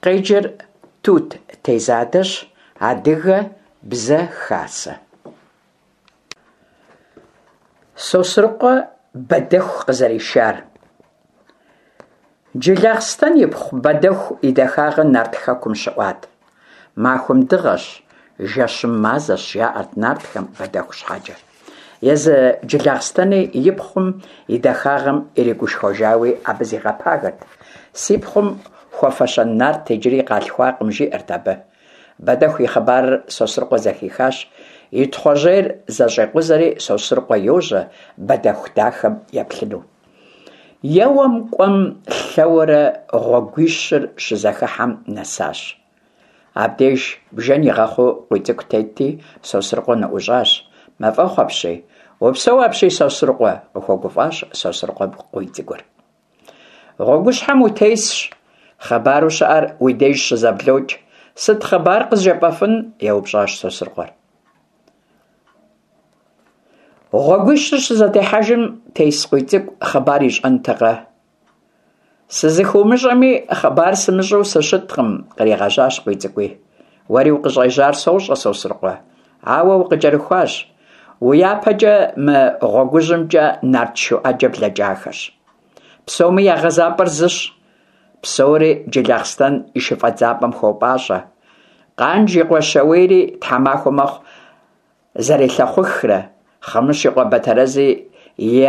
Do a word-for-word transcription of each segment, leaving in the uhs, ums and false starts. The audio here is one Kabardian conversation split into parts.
Къеджэр Тут Тезадэщ. Адыгэ Бзэ Хасэ. Сосрыкъуэ Бэдэху къызэришар. Джылахъстэн ипхъу Бэдэху и дахагъыр нарт хэкум щыӀуат. Махуэм дыгъэщ, жэщым мазэщ, жаӀэрт нартхэм Бэдэху щхьэкӀэ. Езы Джылахъстэни и пхъум и дахагъэм иригушхуэжауи абы зигъэпагэрт. Си пхъум хуэфэщэн нарт иджыри къалъхуакъым, жиӀэрт абы. Бэдэху и хъыбарыр Сосрыкъуэ зэхихащ. И Тхъуэжьейр зэщӀекъузэри Сосрыкъуэ йожьэ Бэдэху дахэм еплъыну. Еуэм-кӀуэм-лъэуэрэ гъуэгуищыр щызэхыхьэм нэсащ. Абдеж бжэн игъэхъуу Къуийцӏыкӏу тетти, Сосрыкъуэ ныӀущӀащ. Мафӏэхъу апщий! Упсэу апщий, Сосрыкъуэ! – къыхуэгуфӀащ Сосрыкъуэ Къуийцӏыкӏур. Гъуэгущхьэм утесщ, хъыбару щыӀэр уи деж щызэблокӀ. Сыт хъыбар къызжепӀэфын? – еупщӀащ Сосрыкъуэр. Гъуэгуищыр щызэтехьэжым тес Къуийцӏыкӏу хъыбар ищӀэнтэкъэ? СызыхыумыщӀэми, хъыбар сымыщӀэу сыщыткъым, къригъэжьащ Къуийцӏыкӏуи. Уэри укъыщӀежьар сощӀэ, Сосрыкъуэ, ауэ укъыкӀэрыхуащ. Уи япэкӀэ мы гъуэгужьымкӀэ нарт шу Ӏэджэ блэкӀахэщ. Псоми я гъэзапӀэр зыщ, псори Джылахъстэн и шыфӀэдзапӀэм хуопӀащӀэ. Къанж и къуэ Щауейри тхьэмахуэ мэхъу зэрелъэхъухрэ, Хъымыщ и къуэ Батэрэзи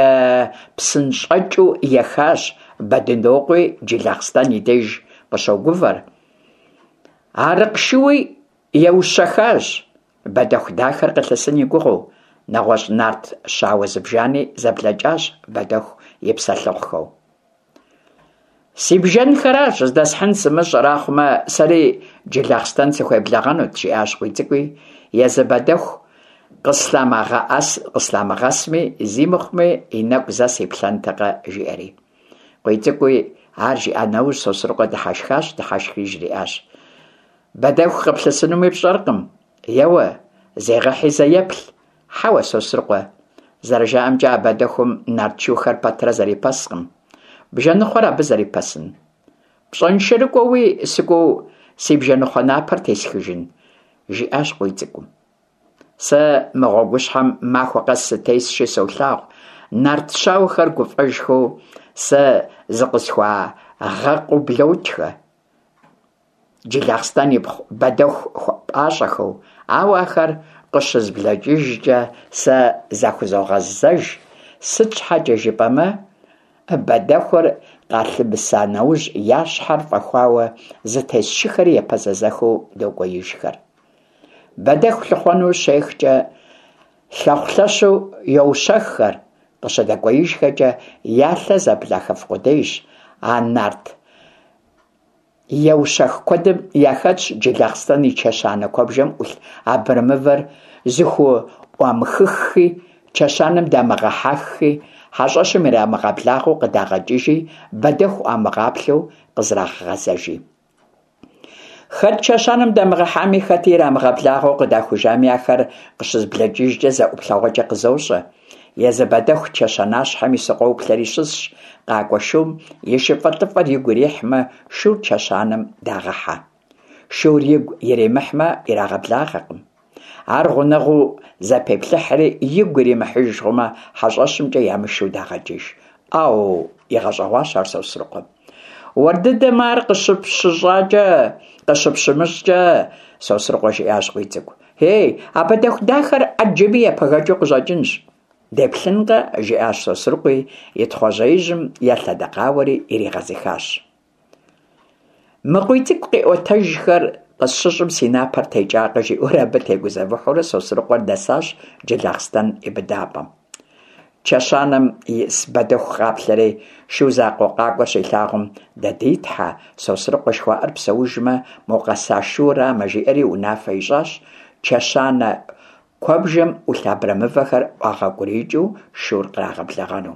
епсынщӀэкӀыу ехащ, Бэдынокъуи Джылахъстэн и деж къыщогувэр. Арыкъ шууи еущэхащ, Бэдэху дахэр къылъысын и гугъэу. НэгъуэщӀ нарт щауэ зыбжани зэблэкӀащ Бэдэху и псэлъыхъухэу. Си бжэнхэращ здэсхьын сымыщӀэр, ахъумэ сэри Джылахъстэн сыхуеблэгъэнут, жиӀащ КъуийцӀыкӀуи, езы Бэдэху къыслъамыгъэсми, зи мыхъуми и нэкӀу зэ сиплъэнтэкъэ, жиӀэри. КъуийцӀыкӀуи ар жиӀа нэужь, Сосрыкъуэ дыхьэшхащ, дыхьэшхри жриӀащ: Бэдэху къыплъысынуми пщӀэркъым, еуэ, зегъэхьи зэ еплъ. Хьэуэ, Сосрыкъуэ, зэрыжаӀэмкӀэ, а Бэдэхум нарт шухэр пэтрэ зэрипэскъым. Бжэныхъуэр абы зэрипэсын? ПщӀэншэрыкӀуэуи сыкӀуэу си бжэныхъуэ напэр тесхыжын? – жиӀащ КъуийцӀыкӀум. Сэ мы гъуэгущхьэм махуэ къэс сытесщи солъагъу, нарт щауэхэр гуфӀэжхэу сэ зыкъысхуагъэкъыу блокӀхэ. Джылахъстэн ипхъу Бэдэху хуэпӀащӀэхэу, ауэ ахэр къыщызблэкӀыжкӀэ сэ захузогъэзэж, сыт щхьэкӀэ жыпӀэмэ, Бэдэхур къалъымыса нэужь я щхьэр фӀэхуауэ зытес шыхэри епэзэзэхыу докӀуеижхэр. Бэдэху лъыхъуэну щехкӀэ лъэхъу-лъэщу йоущэххэр, къыщыдэкӀуеижхэкӀэ я лъэ зэблахыф къудейщ. А нарт еущэх куэдым яхэтщ Джылахъстэн и чэщанэ куэбжэм Ӏулъ абрэмывэр зыхуӀуамыхыххи, чэщанэм дамыгъэхьэххи, хьэщӀэщым ирамыгъэблагъэу къыдагъэкӀыжи, Бэдэху Ӏуамыгъаплъэу къызрагъэгъэзэжи. Хэт чэщанэм дамыгъэхьами, хэти ирамыгъэблагъэу къыдахужами, ахэр къыщызблэкӀыжкӀэ зэ ӀуплъэгъуэкӀэ къызощӀэ. Езы Бэдэху чэщанащхьэм ису къоплъэри щысщ, къакӀуэ шум и шыфӀэлӀыфӀэр игу ирихьмэ, шур чэщанэм дагъэхьэ. Шур игу иримыхьмэ, ирагъэблагъэркъым. Ар гъунэгъуу зэпеплъыхьри, игу иримыхьыж хъумэ, хьэщӀэщымкӀэ ямышэу дагъэкӀыж. Ӏэу! – игъэщӀэгъуащ ар Сосрыкъуэм. Уэр дыдэм ар къыщыпщыщӀакӀэ, къыщыпщымыщӀкӀэ, – Сосрыкъуэ жиӀащ КъуийцӀыкӀу. Ей, а Бэдэху дахэр Ӏэджэми епэгэкӀыу къыщӀэкӀынщ. Деплъынкъэ, – жиӀащ Сосрыкъуи, и Тхъуэжьеижьым елъэдэкъауэри иригъэзыхащ. Мы КъуийцӀыкӀу къиӀуэтэжхэр къысщыщӀым си напэр текӀакъэ, жиӀэурэ абы тегузэвыхьурэ Сосрыкъуэр нэсащ Джылахъстэн и быдапӀэм. Чэщанэм ис Бэдэху къаплъэри, шу закъуэ къакӀуэр щилъагъум, «Дэ ди тхьэ, Сосрыкъуэ жыхуаӀэр псэужмэ, мо къэса шурамэ», жиӀэри унафэ ищӀащ чэщанэ куэбжэм Ӏулъ абрэмывэхэр ӀуагъэукӀуриикӀыу шур кърагъэблэгъэну.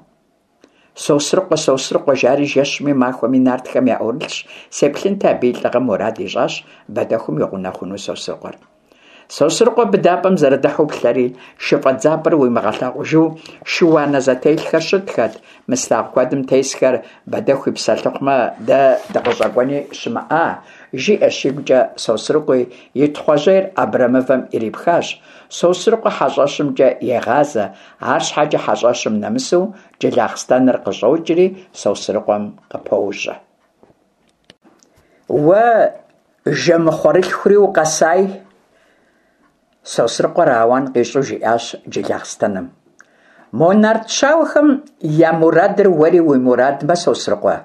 Сосрыкъуэ, Сосрыкъуэ жари жэщми махуэми нартхэм яӀурылъщ, сеплъынти абы и лӀыгъэм, мурад ищӀащ Бэдэхум и гъунэгъуну Сосрыкъуэр. Сосрыкъуэ быдапӀэм зэрыдыхьэу плъэри, шы фӀэдзапӀэр уимыгъэлъагъужу шы-уанэ зэтелъхэр щытхэт: «Мы слъагъу куэдым тесхэр Бэдэху и псэлъыхъумэ, дэ дыкъыщӀэкӀуэни щымыӀа», – жиӀэщ игукӀэ Сосрыкъуи, и Тхъуэжьейр абрэмывэм ирипхащ. Сосрыкъуэ хьэщӀэщымкӀэ егъазэ, арщхьэкӀэ хьэщӀэщым нэмысу Джылахъстэныр къыщӀокӀри Сосрыкъуэм къыпожьэ. Уэ жэмыхъуэрылъхури укъэсай! Сосрыкъуэр ауан къищӀу жиӀащ Джылахъстэным. Мо нарт щауэхэм я мурадыр уэри уи мурадмэ, Сосрыкъуэ,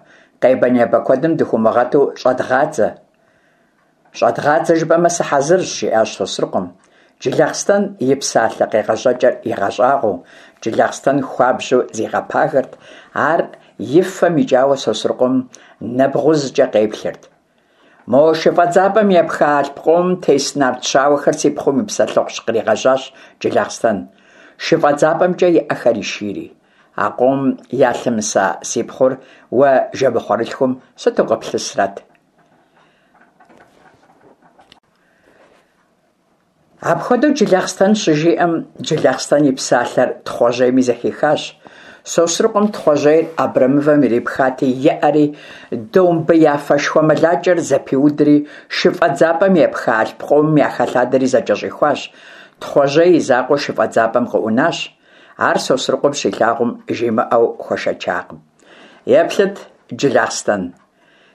къебэ-небэ куэдым дыхыумыгъэту щӀэдгъадзэ. ЩӀэдгъадзэ жыпӀэмэ, сыхьэзырщ, – жиӀащ Сосрыкъуэм, Джылахъстэн и псалъэ къегъэжьэкӀэр игъэщӀагъуэу. Джылахъстэн хуабжьу зигъэпагэрт, ар и фэм икӀауэ Сосрыкъуэм нэбгъузкӀэ къеплъырт. Мо шы фӀэдзапӀэм епха алъп къомым тес нарт щауэхэр си пхъум и псэлъыхъущ, – къригъэжьащ Джылахъстэн, шы фӀэдзапӀэмкӀэ и Ӏэхэр ишийри. А къомым ялъымыса си пхъур уэ жэмыхъуэрылъхум сыту къыплъысрэт? Апхуэдэу Джылахъстэн щыжиӀэм, Джылахъстэн и псалъэр Тхъуэжьейми зэхихащ. Сосрыкъуэм Тхъуэжьейр абрэмывэм ирипхати, еӀэри домбеяфэ шхуэмылакӀэр зэпиудри, шы фӀэдзапӀэм епха алъп къомым яхэлъадэри зэкӀэщӀихуащ. Тхъуэжьей и закъуэу шы фӀэдзапӀэм къыӀунащ. Ар Сосрыкъуэм щилъагъум, жимыӀэу хуэшэчакъым. Еплъыт, Джылахъстэн,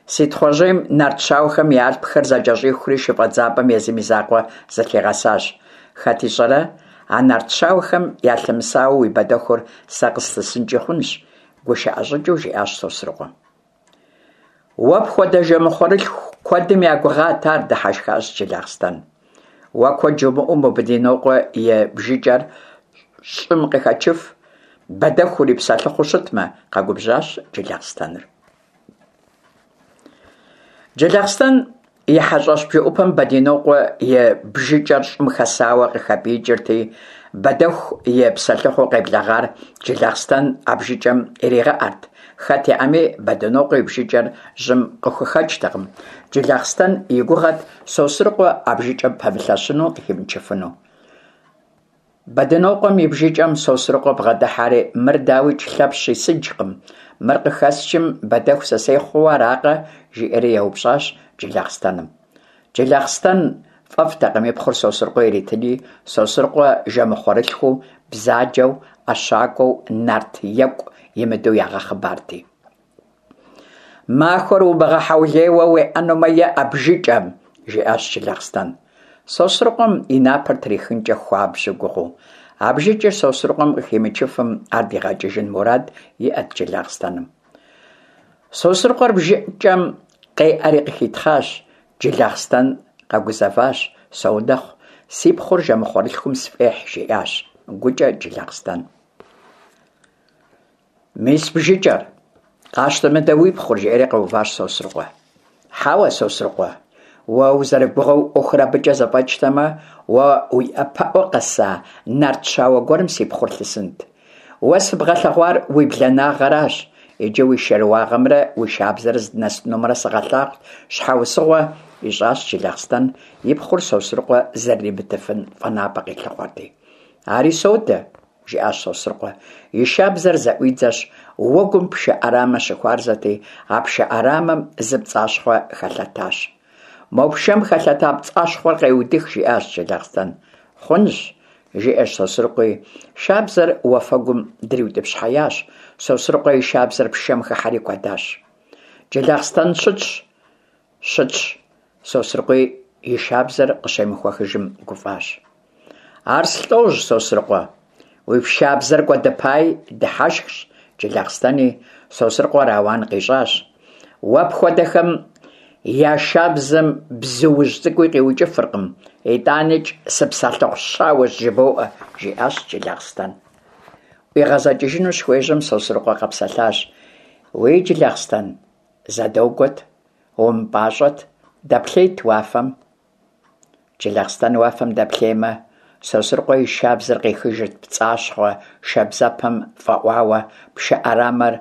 си Тхъуэжьейм нарт щауэхэм я алъпхэр зэкӀэщӀихури шы фӀэдзапӀэм езым и закъуэ зэлъигъэсащ. Хэт ищӀэрэ, а нарт щауэхэм ялъымысауэ уи Бэдэхур сэ къыслъысынкӀи хъунщ, – гушыӀэ щӀыкӀэу жиӀащ Сосрыкъуэ. Уэ пхуэдэ жэмыхъуэрылъху куэдым я гугъат ар, – дыхьэшхащ Джылахъстэн. Уэ куэд жумыӀэу мо Бэдынокъуэ и бжыкӀэр щӀым къыхэчыф, Бэдэху урипсэлъыхъуу щытмэ, – къэгубжьащ Джылахъстэныр. Джылахъстэн и хьэщӀэщ бжэӀупэм Бэдынокъуэ и бжыкӀэр щӀым хэсауэ къыхэпӀиикӀырти, Бэдэху и псэлъыхъуу къеблэгъар Джылахъстэн а бжыкӀэм иригъэӀэрт. Хэт еӀэми, Бэдынокъуэ и бжыкӀэр жьым къыхухэчтэкъым. Джылахъстэн и гугъэт Сосрыкъуэ а бжыкӀэм пэмылъэщыну, къыхимычыфыну. Бэдынокъуэм и бжыкӀэм Сосрыкъуэ бгъэдыхьэри: «Мыр, дауикӀ, Лъэпщ и сыджкъым, мыр къыхэсчым, Бэдэху сысей хъууэ аракъэ?» – жиӀэри еупщӀащ Джылахъстэным. Джылахъстэн фӀэфӀтэкъым и пхъур Сосрыкъуэ иритыни, Сосрыкъуэ жэмыхъуэрылъхуу, бзаджэу, ӀэщакӀуэу, нарт екӀу имыдэу ягъэхъыбарти. Махуэр умыгъэхьэулейуэ уеӀэнумэ, еӀэ бжыкӀэм, – жиӀащ Джылахъстэн, Сосрыкъуэм и напэр трихынкӀэ хуабжьу гугъэу. А бжыкӀыр Сосрыкъуэм къыхимычыфым, ар дигъэкӀыжын мурад иӀэт Джылахъстэным. Сосрыкъуэр бжыкӀэм къеӀэри къыхитхъащ. Джылахъстэн къэгузэващ: «Соунэхъу, си пхъур жэмыхъуэрылъхум сфӀехь», – жиӀащ гукӀэ Джылахъстэн. Мис бжыкӀэр, къащтэ мыдэ уи пхъур, – жиӀэри къэуващ Сосрыкъуэ. Хьэуэ, Сосрыкъуэ, уэ узэрыгугъэу Ӏуэхур абыкӀэ зэфӀэкӀтэмэ, уэ уи япэӀуэ къэса нарт щауэ гуэрым си пхъур лъысынт. Уэ сыбгъэлъэгъуар уи бланагъэращ, иджы уи шэрыуагъэмрэ уи шабзэр здынэсынумрэ сыгъэлъагъут, – щхьэусыгъуэ ищӀащ Джылахъстэн, и пхъур Сосрыкъуэ зэрыримытыфын фӀэнапӀэ къилъыхъуэрти. Ари содэ, – жиӀащ Сосрыкъуэ. И шабзэр зэӀуидзэщ, уэгум пшэ Ӏэрамэ щыхуарзэти, а пшэ Ӏэрамэм зы пцӀащхъуэ хэлъэтащ. Мо пшэм хэлъэта пцӀащхъуэр къеудых, – жиӀащ Джылахъстэн. Хъунщ, – жиӀэщ Сосрыкъуи, шабзэр уафэгум дриутӀыпщхьэящ. Сосрыкъуэ и шабзэр пшэм хыхьэри кӀуэдащ. Джылахъстэн щытщ, щытщ, Сосрыкъуи и шабзэр къыщемыхуэхыжым гуфӀащ. Ар слӀожь, Сосрыкъуэ, уи шабзэр кӀуэдыпаи, – дыхьэшхщ Джылахъстэни, Сосрыкъуэр ауан къищӀащ. Уэ пхуэдэхэм я шабзэм бзуужь цӀыкӀуи къиукӀыфыркъым, итӀаникӀ сыпсэлъыхъу щауэщ жыбоӀэ, – жиӀащ Джылахъстэн. ӀуигъэзэкӀыжыну щыхуежьэм, Сосрыкъуэ къэпсэлъащ: «Уей, Джылахъстэн, зэ догуэт, умыпӀащӀэт, дэплъейт уафэм». Джылахъстэн уафэм дэплъеймэ, Сосрыкъуэ и шабзэр къехыжырт пцӀащхъуэ шабзэпэм фӀэӀуауэ, пшэ Ӏэрамэр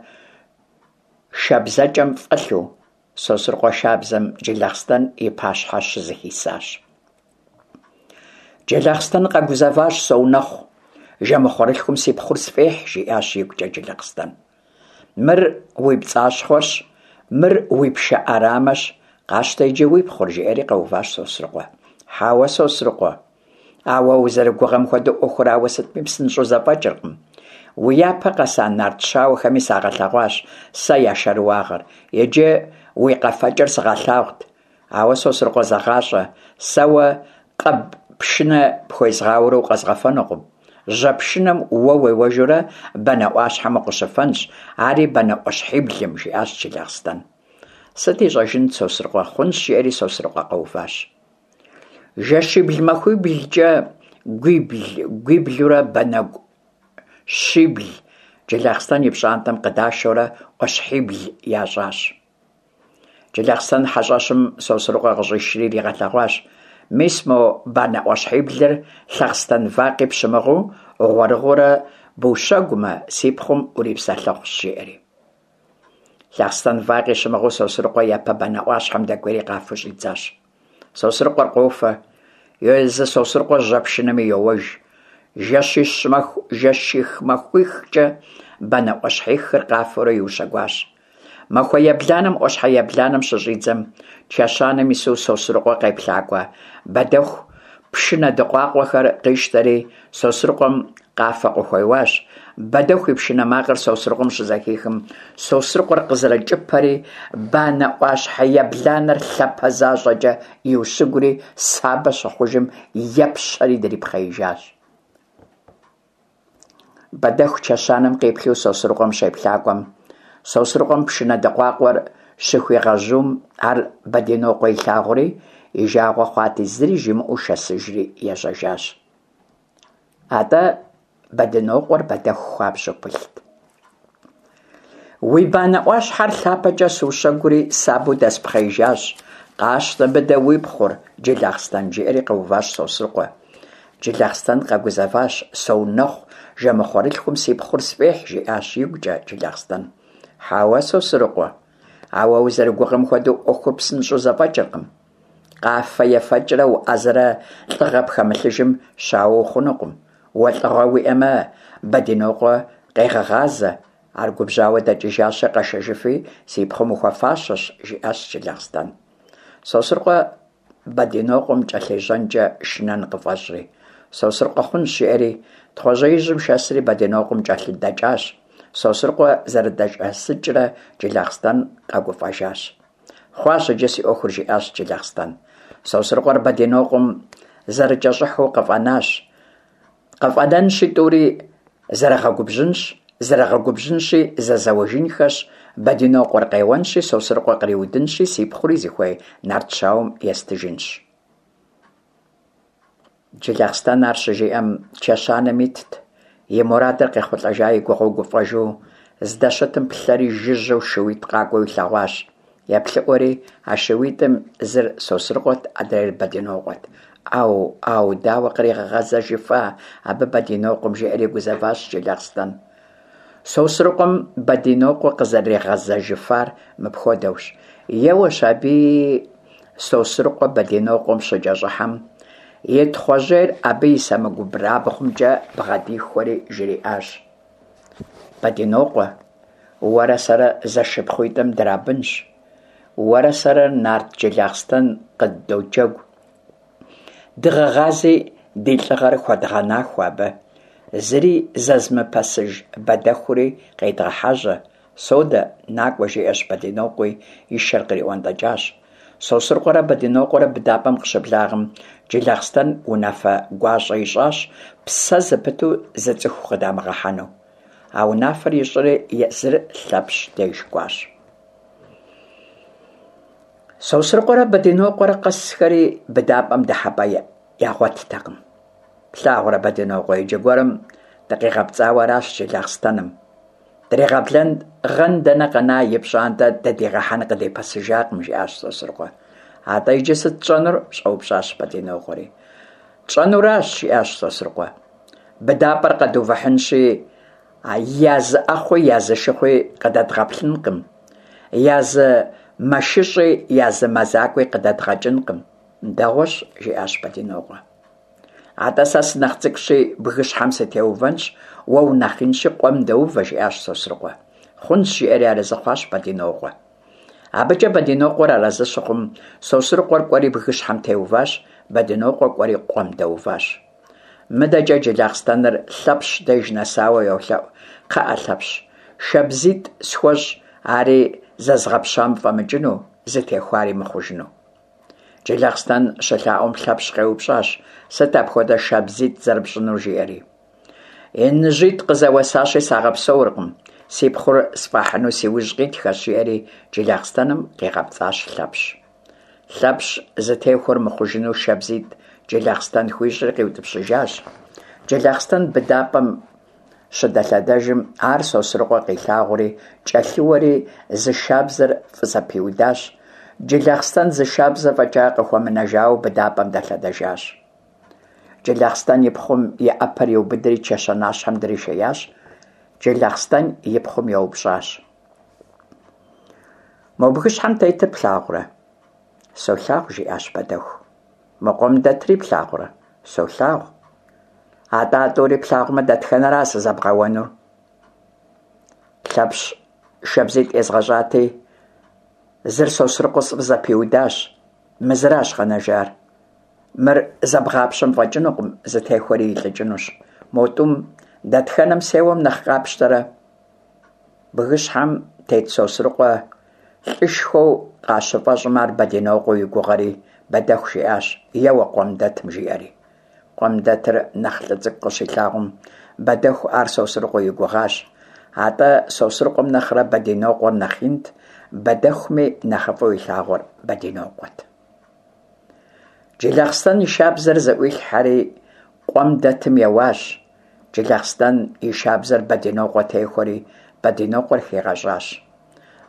шабзэкӀэм фӀэлъу. Сосрыкъуэ шабзэм Джылахъстэн и пащхьэ щызэхисащ. Джылахъстэн къэгузэващ, соунэхъу, жэмыхъуэрылъхум си пхъур сфӏехь, жиӏащ игукӏэ Джылахъстэн. Мыр уи пцӏащхъуэщ, мыр уи пшэ ӏэрамэщ, къащтэ иджы уи пхъур, жиӏэри къэуващ Сосрыкъуэ. Хьэуэ, Сосрыкъуэ, а уэ узэрыгугъэм хуэдэу ӏуэхур ауэ сытми псынщӏэу зэфӏэкӏыркъым. Уи япэ къэса нарт щауэхэми сагъэлъэгъуащ сэ я шэрыуагъэр, иджы уи къэфэкӏэр сыгъэлъагъут. Ауэ, Сосрыкъуэ, зэгъащӏэ, сэ уэ къэб пшынэ пхуезгъауэурэ укъэзгъэфэнукъым. Жьэ пшынэм уэ уеуэжурэ банэ ӏуащхьэм укъыщыфэнщ, ари банэ ӏуащхьиблым, жиӏащ Джылахъстэн. Сыт ищӏэжынт Сосрыкъуэ, хъунщ, жиӏэри Сосрыкъуэ къэуващ. Жэщибл-махуиблкӏэ гуибл-гуиблурэ банэгу щибл Джылахъстэн и пщӏантӏэм къыдашэурэ ӏуащхьибл ящӏащ. Джылахъстэн хьэщӏэщым Сосрыкъуэ къыщӏишри иригъэлъэгъуащ: мис мо банэ ӏуащхьиблыр лъахъстэн вакъи пщымыгъыу гъуэрыгъуэурэ бущэгумэ, си пхъум урипсэлъыхъущ, жиӏэри. Лъахъстэн вакъи щымыгъыу Сосрыкъуэ япэ банэ ӏуащхьэм дэкӏуейри къафэу щӏидзащ. Сосрыкъуэр къофэ, езы Сосрыкъуэ жьэ пшынэми йоуэж. Жэщищ-жэщих-махуихкӏэ банэ ӏуащхьихыр къафэурэ иущэгуащ. Махуэ ебланэм ӏуащхьэ ебланэм щыщӏидзэм, чэщанэм ису Сосрыкъуэ къеплъакӏуэ Бэдэху пшынэ дыкъуакъуэхэр къищтэри Сосрыкъуэм къафэ къыхуеуащ. Бэдэху и пшынэ макъыр Сосрыкъуэм щызэхихым, Сосрыкъуэр къызэрыкӏыпэри банэ ӏуащхьэ ебланэр лъапэ защӏэкӏэ иущыгури сабэ щыхъужым епщэри дрипхъеижащ. Бэдэху чэщанэм къиплъу Сосрыкъуэм щеплъакӏуэм, Сосрыкъуэм пшынэ дыкъуакъуэр щыхуигъэжьум, ар Бэдынокъуэ илъагъури и жагъуэ хъуати, зыри жимыӏэу шэсыжри ежьэжащ. Атӏэ Бэдынокъуэр Бэдэху хуабжьу пылът. Уи банэ ӏуащхьэр лъапэкӏэ сущэгури сабэу дэспхъеижащ, къащтэ мыдэ уи пхъур, Джылахъстэн, жиӏэри къэуващ Сосрыкъуэ. Джылахъстэн къэгузэващ, соунэхъу, жэмыхъуэрылъхум си пхъур сфӏехь, жиӏащ игукӏэ Джылахъстэн. Хьэуэ, Сосрыкъуэ, а уэ узэрыгугъэм хуэдэу ӏуэхур псынщӏэу зэфӏэкӏыркъым. Къафэ ефэкӏрэ уӏэзэрэ лӏыгъэ пхэмылъыжым щауэ ухъунукъым. Уэ лӏыгъэ уиӏэмэ, Бэдынокъуэ къегъэгъазэ, ар губжьауэ дэкӏыжащи къэшэжыфи, си пхъум ухуэфащэщ, жиӏащ Джылахъстэн. Сосрыкъуэ Бэдынокъуэм кӏэлъежьэнкӏэ шынэн къыфӏэщӏри. Сосрыкъуэ хъунщ, жиӏэри, Тхъуэжьеижьым шэсри Бэдынокъуэм кӏэлъыдэкӏащ. Сосрыкъуэ зэрыдэшэсыкӏрэ Джылахъстэн къэгуфӏэжащ. Хъуащ иджы си ӏуэхур, жиӏащ Джылахъстэн. Сосрыкъуэр Бэдынокъуэм зэрыкӏэщӏыхьу къыфӏэнащ. Къыфӏэнэнщи тӏури зэрыгъэгубжьынщ, зэрыгъэгубжьынщи зэзэуэжынхэщ, Бэдынокъуэр къеуэнщи Сосрыкъуэ къриудынщи си пхъури зыхуей нарт щауэм естыжынщ. Джылахъстэн ар щыжиӏэм чэщанэм итт, и мурадыр къехъулӏэжа и гугъэу гуфӏэжу здэщытым плъэри жыжьэу шууитӏ къакӏуэу илъэгъуащ. Еплъыӏуэри а шууитӏым зыр Сосрыкъуэт, адрейр Бэдынокъуэт. Ӏэу, ӏэу, дауэ къригъэгъэзэжыфа абы Бэдынокъуэм, жиӏэри гузэващ Джылахъстэн. Сосрыкъуэм Бэдынокъуэ къызэригъэзэжыфар мыпхуэдэущ. Еуэщ аби Сосрыкъуэ Бэдынокъуэм щыкӏэщӏыхьэм, и Тхъуэжьейр абы и сэмэгурабгъумкӏэ бгъэдихуэри жриӏащ: Бэдынокъуэ, уэрэ сэрэ зэшыпхъуитӏым драбынщ, уэрэ сэрэ нарт Джылахъстэн къыддоджэгу. Дыгъэгъази ди лӏыгъэр хуэдгъэнахуэ абы, зыри зэзымыпэсыж Бэдэхури къедгъэхьэжьэ. Содэ, накӏуэ, жиӏэщ Бэдынокъуи и шэр къриӏуэнтӏэкӏащ. Сосрыкъуэрэ Бэдынокъуэрэ быдапӏэм къыщыблагъэм, Джылахъстэн унафэ гуащӏэ ищӏащ псэ зыпыту зы цӏыху къыдамыгъэхьэну. А унафэр ищӏри езыр Лъэпщ деж кӏуащ. Сосрыкъуэрэ Бэдынокъуэрэ къэсхэри быдапӏэм дыхьэпӏэ ягъуэттэкъым. Плъагъурэ, Бэдынокъуэ, иджы гуэрым дыкъигъэпцӏауэ аращ Джылахъстэным. Дригъэблэгъэн дэнэ къэна, и пщӏантӏэ дыдигъэхьэн къыдипэсыжакъым, жиӏащ Сосрыкъуэ. Атӏэ иджы сыт тщӏэнур? щӏэупщӏащ Бэдынокъуэри. Тщӏэнуращ, жиӏащ Сосрыкъуэ. Быдапӏэр къэдувыхьынщи, я зы ӏэхъуи я зы шыхъуи къыдэдгъэплъынкъым, я зы мэшыщӏи я зы мэзакӏуи къыдэдгъэкӏынкъым. Дэгъуэщ, жиӏащ Бэдынокъуэ. Атӏэ сэ сынэхъ цӏыкӏущи, бгыщхьэм сытеувэнщ, уэ унэхъ инщи, къуэм дэувэ, жиӏащ Сосрыкъуэ. Хъунщ, жиӏэри арэзы хъуащ Бэдинокъуэ. Абыкӏэ Бэдинокъуэр арэзы щыхъум, Сосрыкъуэр кӏуэри бгыщхьэм теуващ, Бэдинокъуэ кӏуэри къуэм дэуващ. Мыдэкӏэ Джылахъстэныр Лъэпщ деж нэсауэ йолъэӏу: «Кхъыӏэ, Лъэпщ, шабзитӏ схуэщӏ, ари зэзгъэпщам фӏэмыкӏыну, зытехуари мыхъужыну». Джылахъстэн щылъаӏуэм Лъэпщ къеупщӏащ: «Сыт апхуэдэ шабзитӏ зэрыпщӏынур?» жиӏэри. «ИныжьитӀ къызэуэсащи, сагъэпсэуркъым, си пхъур сфӏахьыну си ужь къитхэщ», жиӏэри Джылахъстэным къигъэпцӏащ Лъэпщ. Лъэпщ зытехуэр мыхъужыну шабзитӏ Джылахъстэн хуищӏри къиутӏыпщыжащ. Джылахъстэн быдапӏэм щыдэлъэдэжым, ар Сосрыкъуэ къилъагъури, кӏэлъыуэри зы шабзэр фӏызэпиудащ. Джылахъстэн зы шабзэ фӏэкӏа къыхуэмынэжауэ быдапӏэм дэлъэдэжащ. Джылахъстэн и пхъум и ӏэпэр иубыдри чэщанащхьэм дришеящ. Джылахъстэн и пхъум еупщӏащ: «Мо бгыщхьэм тетыр плъагъурэ?» «Солъагъу», жиӏащ Бэдэху. «Мо къуэм дэтри плъагъурэ?» «Солъагъу». «Атӏэ а тӏури плъагъумэ, дэтхэнэра сызэбгъэуэнур?» «Лъэпщ шабзитӏ езгъэщӏати, зыр Сосрыкъуэ сфӏызэпиудащ, мы зыращ къэнэжар. Мыр зэбгъапщэм фӏэкӏынукъым, зытехуэри илӏыкӏынущ. Мо тӏум дэтхэнэм сеуэм нэхъ къапщтэрэ?» Бгыщхьэм тет Сосрыкъуэ лӏышхуэу къащыфӏэщӏым ар Бэдинокъуэу и гугъэри, Бэдэху жиӏащ: «Еуэ къуэм дэтым», жиӏэри. Къуэм дэтыр нэхъ лӏы цӏыкӏу къыщилъагъум, Бэдэху ар Сосрыкъуэу и гугъащ. Атӏэ Сосрыкъуэм нэхърэ Бэдинокъуэр нэхъ инт, Бэдэхуми нэхъыфӏу илъагъур Бэдинокъуэт. Джылахъстэн и шабзэр зэӏуилъхьэри къуэм дэтым еуащ. Джылахъстэн и шабзэр Бэдинокъуэ техуэри Бэдинокъуэр хигъэщӏащ.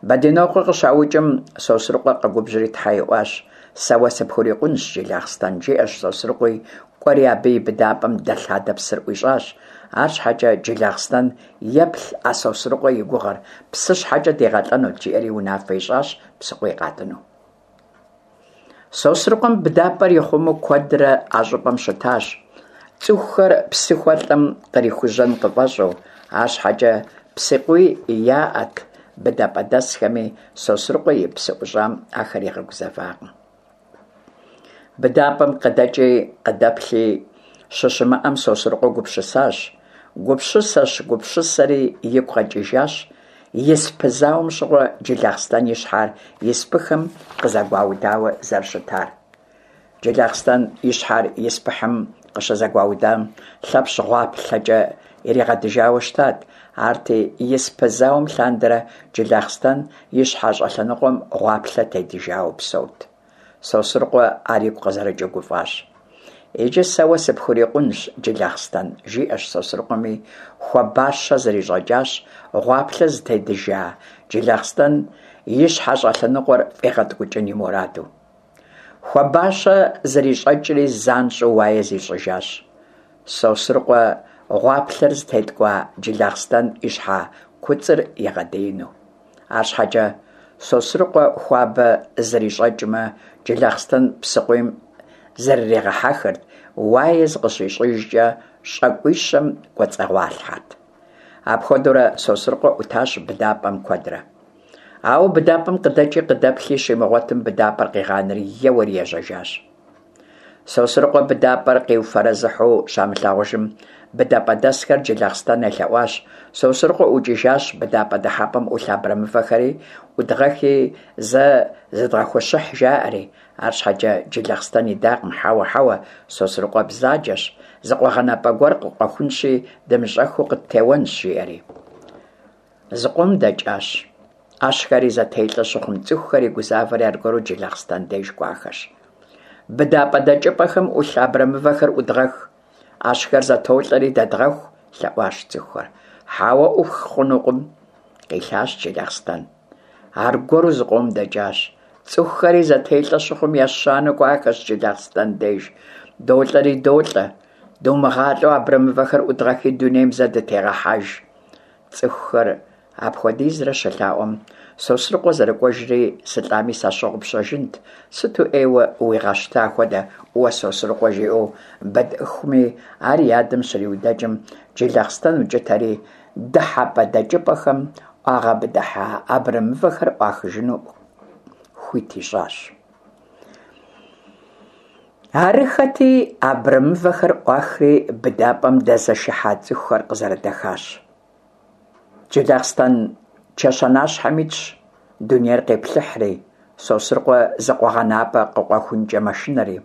Бэдинокъуэ къыщаукӏым, Сосрыкъуэ къэгубжьри тхьэ иӏуащ: «Сэ уэ сыпхурикъунщ, Джылахъстэн», жиӏэщ Сосрыкъуи, кӏуэри абы и быдапӏэм дэлъадэ псыр ӏуищӏащ. Арщхьэкӏэ Джылахъстэн еплъ а Сосрыкъуэ и гугъэр, псы щхьэкӏэ дигъэлӏэнут, жиӏэри унафэ ищӏащ псыкъуий къатӏыну. Сосрыкъуэм быдапӏэр ихъумэу куэдрэ а щӏыпӏэм щытащ, цӏыхухэр псы хуэлӏэм кърихужьэн къыфӏэщӏу. Арщхьэкӏэ псыкъуий яӏэт быдапӏэдэсхэми, Сосрыкъуэ и псы ӏущӏам ахэр игъэгузэвакъым. Быдапӏэм къыдэкӏи къыдэплъи щыщымыӏэм, Сосрыкъуэ гупсысащ. Гупсысэщ-гупсысэри игу къэкӏыжащ испы зауэм щыгъуэ Джылахъстэн и щхьэр испыхэм къызэгуаудауэ зэрыщытар. Джылахъстэн и щхьэр испыхьым къыщызэгуаудам, Лъэпщ гъуаплъэкӏэ иригъэдыжауэ щытат. Арти испы зауэм лъандэрэ Джылахъстэн и щхьэ щӏэлъэныкъуэм гъуаплъэ тедыжауэ псэут. Сосрыкъуэ ар игу къызэрыкӏыу гуфӏащ. «Иджы сэ уэ сыпхурикъунщ, Джылахъстэн», жиӏэщ Сосрыкъуэми, хуабащэ зрищӏэкӏащ, гъуаплъэ зытедыжа Джылахъстэн и щхьэ щӏэлъэныкъуэр фӏигъэткӏукӏын и мураду. Хуабащэ зрищӏэкӏри занщӏэу уае зищӏыжащ. Сосрыкъуэ гъуаплъэр зытеткӏуа Джылахъстэн и щхьэ куцӏыр игъэдиину. Арщхьэкӏэ Сосрыкъуэ хуабэ зрищӏэкӏмэ, Джылахъстэн псыкъуийм зрыригъэхьэхырт, уае зыкъыщищӏыжкӏэ щӏакӏуищэм кӏуэцӏыгъуалъхьэрт. Апхуэдэурэ Сосрыкъуэ ӏутащ быдапӏэм куэдрэ. Ауэ быдапӏэм къыдэкӏи къыдэплъи щимыгъуэтым, быдапӏэр къигъанэри еуэри ежьэжащ. Сосрыкъуэ быдапӏэр къиуфэрэзыхьу щамылъагъужым, быдапӏэдэсхэр Джылахъстэн елъэӏуащ: «Сосрыкъуэ ӏукӏыжащ, быдапӏэ дыхьэпӏэм ӏулъ абрэмывэхэри ӏудгъэхи зэ зыдгъэхущыхь», жаӏэри. Арщхьэкӏэ Джылахъстэн идакъым: «Хьэуэ, хьэуэ, Сосрыкъуэ бзаджэщ, зы къуэгъэнапӏэ гуэр къыкъуэхунщи, дымыщӏэххэу къыттеуэнщ», жиӏэри. Зыкъом дэкӏащ. Ӏэщхэри зэтелӏэ щыхъум, цӏыхухэри гузавэри аргуэру Джылахъстэн деж кӏуахэщ. «Быдапӏэ дэкӏыпӏэхэм ӏулъ абрэмывэхэр ӏудгъэх, ӏэщхэр зэтолӏэри дэдгъэху», лъэӏуащ цӏыхухэр. «Хьэуэ, ӏуфх хъунукъым», къилъащ Джылахъстэн. Аргуэру зыкъом дэкӏащ. Цӏыхухэри зэтелӏэ щыхъум, ещанэу кӏуахэщ Джылахъстэн деж. «Долӏэри долӏэ, думыгъалӏэу абрэмывэхэр ӏудгъэхи дунейм зэ дытегъэхьэж». Цӏыхухэр Апхуэдизрэ щылъаӀуэм, Сосрыкъуэ зэрыкӀуэжри сылӀами сащыгъупщэжынт, сыту Ӏейуэ уигъэщта хуэдэ уэ Сосрыкъуэ, жиӀэу Бэдэхуми ар и адэм щриудэкӀым, Джылахъстэн укӀытэри дыхьэпӀэ-дэкӀыпӀэхэм Ӏуагъэбыдыхьа абрэмывэхэр Ӏуахыжыну хуит ищӀащ. Арыххэти, абрэмывэхэр Ӏуахри быдапӀэм дэзэшыхьа цӀыхухэр къызэрыдэхащ. Джылахъстэн чэщанащхьэм итщ, дунейр къеплъыхьри, Сосрыкъуэ зы къуэгъэнапӀэ къыкъуэхункӀэ мэшынэри.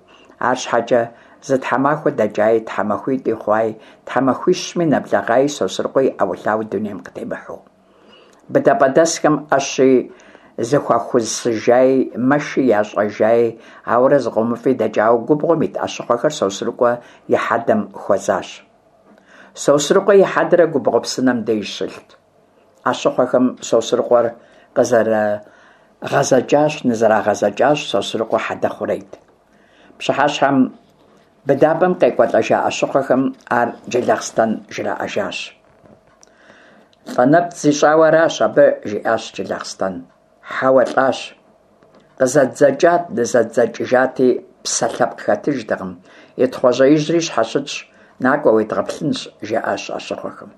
АрщхьэкӀэ зы тхьэмахуэ дэкӀаи, тхьэмахуитӀи хъуаи, тхьэмахуищми нэблэгъаи Сосрыкъуэ и Ӏэуэлъауэ дунейм къытемыхьэу. БыдапӀэдэсхэм Ӏэщи зэхуахусыжаи, мэши ящӀэжаи, ауэрэ зыкъомыфӀи дэкӀауэ губгъуэм ит Ӏэщыхъуэхэр Сосрыкъуэ и хьэдэм хуэзащ. Сосрыкъуэ и хьэдэр губгъуэ псынэм деж щылът. Ӏэщыхъуэхэм Сосрыкъуэр къызэрагъэзэкӀащ, нызэрагъэзэкӀащ, Сосрыкъуэ хьэдэ хъурейт. Пщыхьэщхьэм быдапӀэм къекӀуэлӀэжа Ӏэщыхъуэхэм ар Джылахъстэн жраӀэжащ. ЛӀэ нэпцӀ зищӀауэ аращ абы, жиӀащ Джылахъстэн. Хьэуэ, лӀащ. КъызэдзэкӀат, нызэдзэкӀыжати, псэ лъэпкъ хэтыжтэкъым, и Тхъуэжьеижьри щхьэщытщ, накӀуэ уедгъэплъынщ, жаӀащ Ӏэщыхъуэхэм.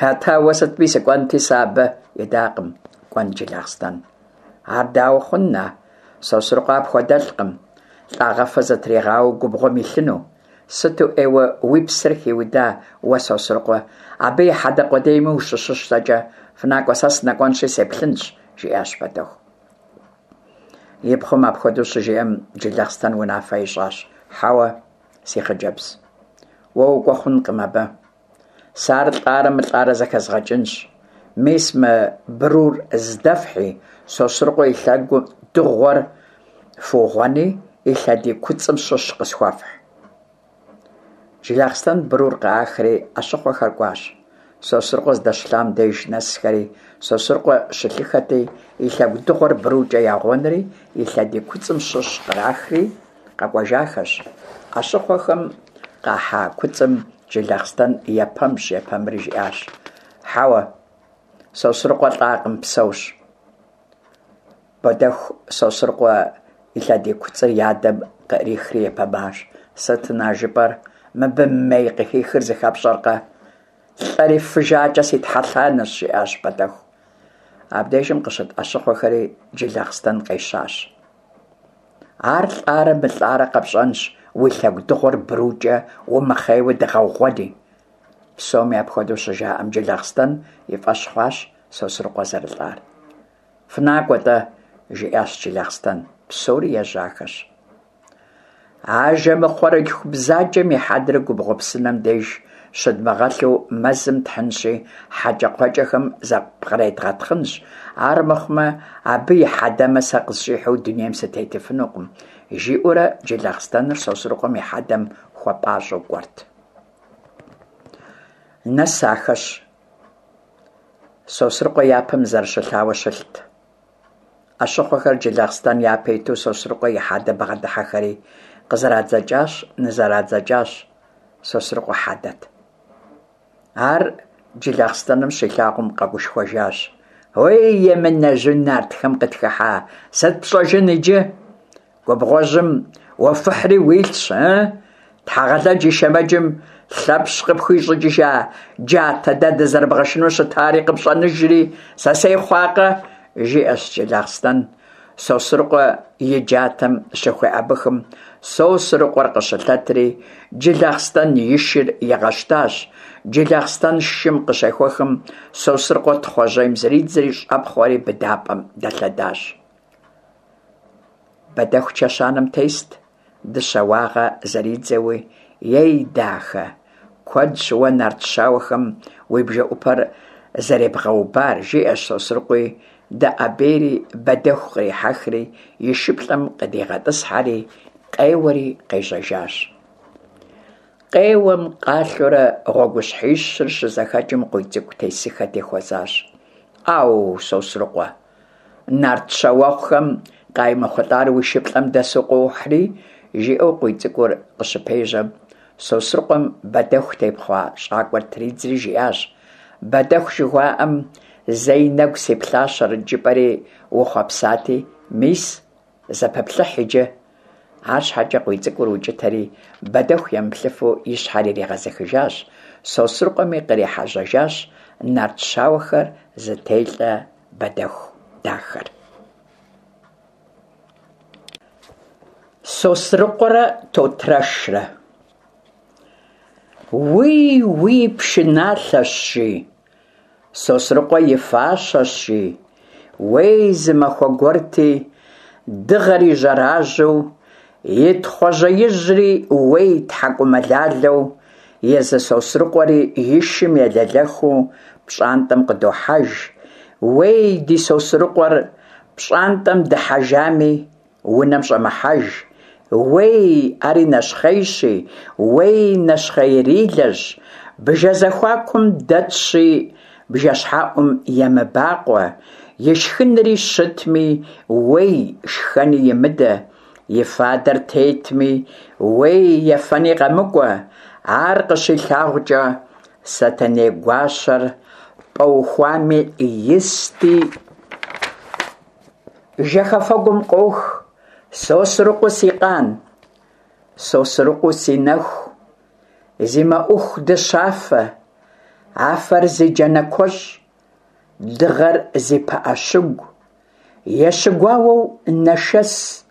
Атӏэ, ауэ сытми сыкӀуэнти сэ абы, идакъым кӀуэн Джылахъстэн. Ар дауэ хъун, на? Сосрыкъуэ апхуэдэлӀкъым, лӀагъэфэ зытригъауэу губгъуэм илъыну. Сыту Ӏейуэ уи псэр хиуда уэ Сосрыкъуэ, абы и хьэдэ къудейми ущыщыщтэкӀэ, фынакӀуэ, сэ сынэкӀуэнщи сеплъынщ, жиӀащ Бэдэху. И пхъум апхуэдэу щыжиӀэм, Джылахъстэн унафэ ищӀащ: Хьэуэ, си хъыджэбз, уэ укӀуэ хъункъым абы. Сэ ар лӀарэ мылӀарэ зэхэзгъэкӀынщ. Мис мы брур здэфхьи, Сосрыкъуэ и лъэгу дыгъуэр фыугъуэни, и лъэдий куцӀым щыщ къысхуэфхь. Джылахъстэн брур къыӀахри Ӏэщыхъуэхэр кӀуащ. Сосрыкъуэ здэщылъам деж нэсхэри, Сосрыкъуэ щылъыххэти, и лъэгу дыгъуэр брукӀэ ягъуэнри, и лъэдий куцӀым щыщ кърахри къэкӀуэжахэщ. Ӏэщыхъуэхэм къахьа куцӀым Джылахъстэн епэмщ-епэмри жиӀащ: Хьэуэ, Сосрыкъуэ лӀакъым, псэущ. Бэдэху Сосрыкъуэ и лъэдий куцӀыр и адэм къыӀрихри епэмащ: Сыт, на, жыпӀэр, мыбы мей къыхихыр зыхэпщӀэркъэ? ЛӀэри фыжакӀэ си тхьэлъанэщ, жиӀащ Бэдэху. Абдежым къыщыт Ӏэщыхъуэхэри Джылахъстэн къещащ. Ар лӀарэ мылӀарэ къэпщӀэнщ, уи лъэгу дыгъуэр брукӀэ умыхъейуэ дыгъэугъуэни. Псоми апхуэдэу щыжаӀэм, Джылахъстэн и фӀэщ хъуащ Сосрыкъуэ зэрылӀар. ФынакӀуэ-тӀэ, жиӀащ Джылахъстэн. Псори ежьахэщ. Ажэмыхъуэрылъху бзаджэм и хьэдэр губгъуэ псынэм деж щыдмыгъэлъу мэзым тхьынщи, хьэкӀэкхъуэкӀэхэм зэпкъредгъэтхъынщ, армыхъумэ абы и хьэдэмэ сэ къысщӀихьэу дунейм сытетыфынукъым, жиӀэурэ Джылахъстэныр Сосрыкъуэм и хьэдэм хуэпӀащӀэу кӀуэрт. Нэсахэщ. Сосрыкъуэ япэм зэрыщылъауэ щылът. Ӏэщыхъуэхэр Джылахъстэн япэ иту Сосрыкъуэ и хьэдэ бгъэдыхьэхэри къызэрадзэкӀащ, нызэрадзэкӀащ. Сосрыкъуэ хьэдэт. Ар Джылахъстэным щилъагъум къэгушхуэжащ. Уей, емынэжьу нартхэм къытхыхьа, сыт пщӀэжын иджы? Губгъуэжьым уофыхьри уилъщ, ы? Тхьэгъэлэдж и шэмэджым Лъэпщ къыпхуищӀыкӀыжа джатэ дэ дызэрыбгъэшыну щытари къыпщӀэныжри сэсей хъуакъэ? жиӀэщ Джылахъстэн. Сосрыкъуэ и джатэм щыхуеӀэбыхым, Сосрыкъуэр къыщылъэтри, Джылахъстэн и шыр игъэщтащ. Джылахъстэн шым къыщехуэхым, Сосрыкъуэ Тхъуэжьейм зридзри щӀэпхъуэри быдапӀэм дэлъэдащ. Бэдэху чэщанэм тест, дыщэ уагъэ зэридзэуи: «Ей, дахэ, куэдщ уэ нарт щауэхэм уи бжэӀупэр зэребгъэубар», жиӀэщ Сосрыкъуи, дэӀэбейри Бэдэху кърихьэхри и шыплӀэм къыдигъэтӀысхьэри, къеуэри къежьэжащ. Къеуэм-къалъэурэ гъуэгущхьищыр щызэхэкӀым КъуийцӀыкӀу тесыххэти хуэзащ. «Ӏэу, Сосрыкъуэ, нарт щауэгъухэм къаймыхъулӀар уи шыплӀэм дэсу къуохьри», жиӀэу КъуийцӀыкӀур къыщыпежьэм, Сосрыкъуэм Бэдэху тепхъуа щӀакӀуэр тридзри жиӀащ: Бэдэху жыхуаӏэм зэи нэгу сиплъащэрэт жыпӏэри ухъуэпсати, мис, зэпэплъыхь иджы. АрщхьэкӀэ Къуийцӏыкӏур укӀытэри, Бэдэху емыплъыфу и щхьэр иригъэзыхыжащ, Сосрыкъуэми кърихьэжьэжащ нарт щауэхэр зытелӀэ Бэдэху дахэр. Сосрыкъуэрэ Тотрэшрэ. Уий, уий, пшыналъэщ, жи, Сосрыкъуэ и фащэщ, жи. Уей, зы махуэ гуэрти, дыгъэри жьэражьэу, и Тхъуэжьеижьри, уей, тхьэкӏумэлалэу, езы Сосрыкъуэри и шым елэлэхыу пщӏантӏэм къыдохьэж. Уей, ди Сосрыкъуэр пщӏантӏэм дыхьэжами, унэм щӏэмыхьэж. Уей, ари нэщхъейщи, уей, нэщхъеирилэщ, бжэ зэхуакум дэтщи, бжэщхьэӏум емыбакъуэ, и шхынри щытми, уей, шхэни имыдэ, и фадэр тетми, уей, ефэни къэмыкӏуэ. Ар къыщилъагъукӏэ, Сэтэней гуащэр пӏэухуами исти, жэхэфэгум къох: Сосрыкъуэу си къан, Сосрыкъуэу си нэху, зи мэӏуху дыщафэ, афэр зи джанэ куэщӏ, дыгъэр зи пыӏэ щыгу, ещыгуауэу нэшэс,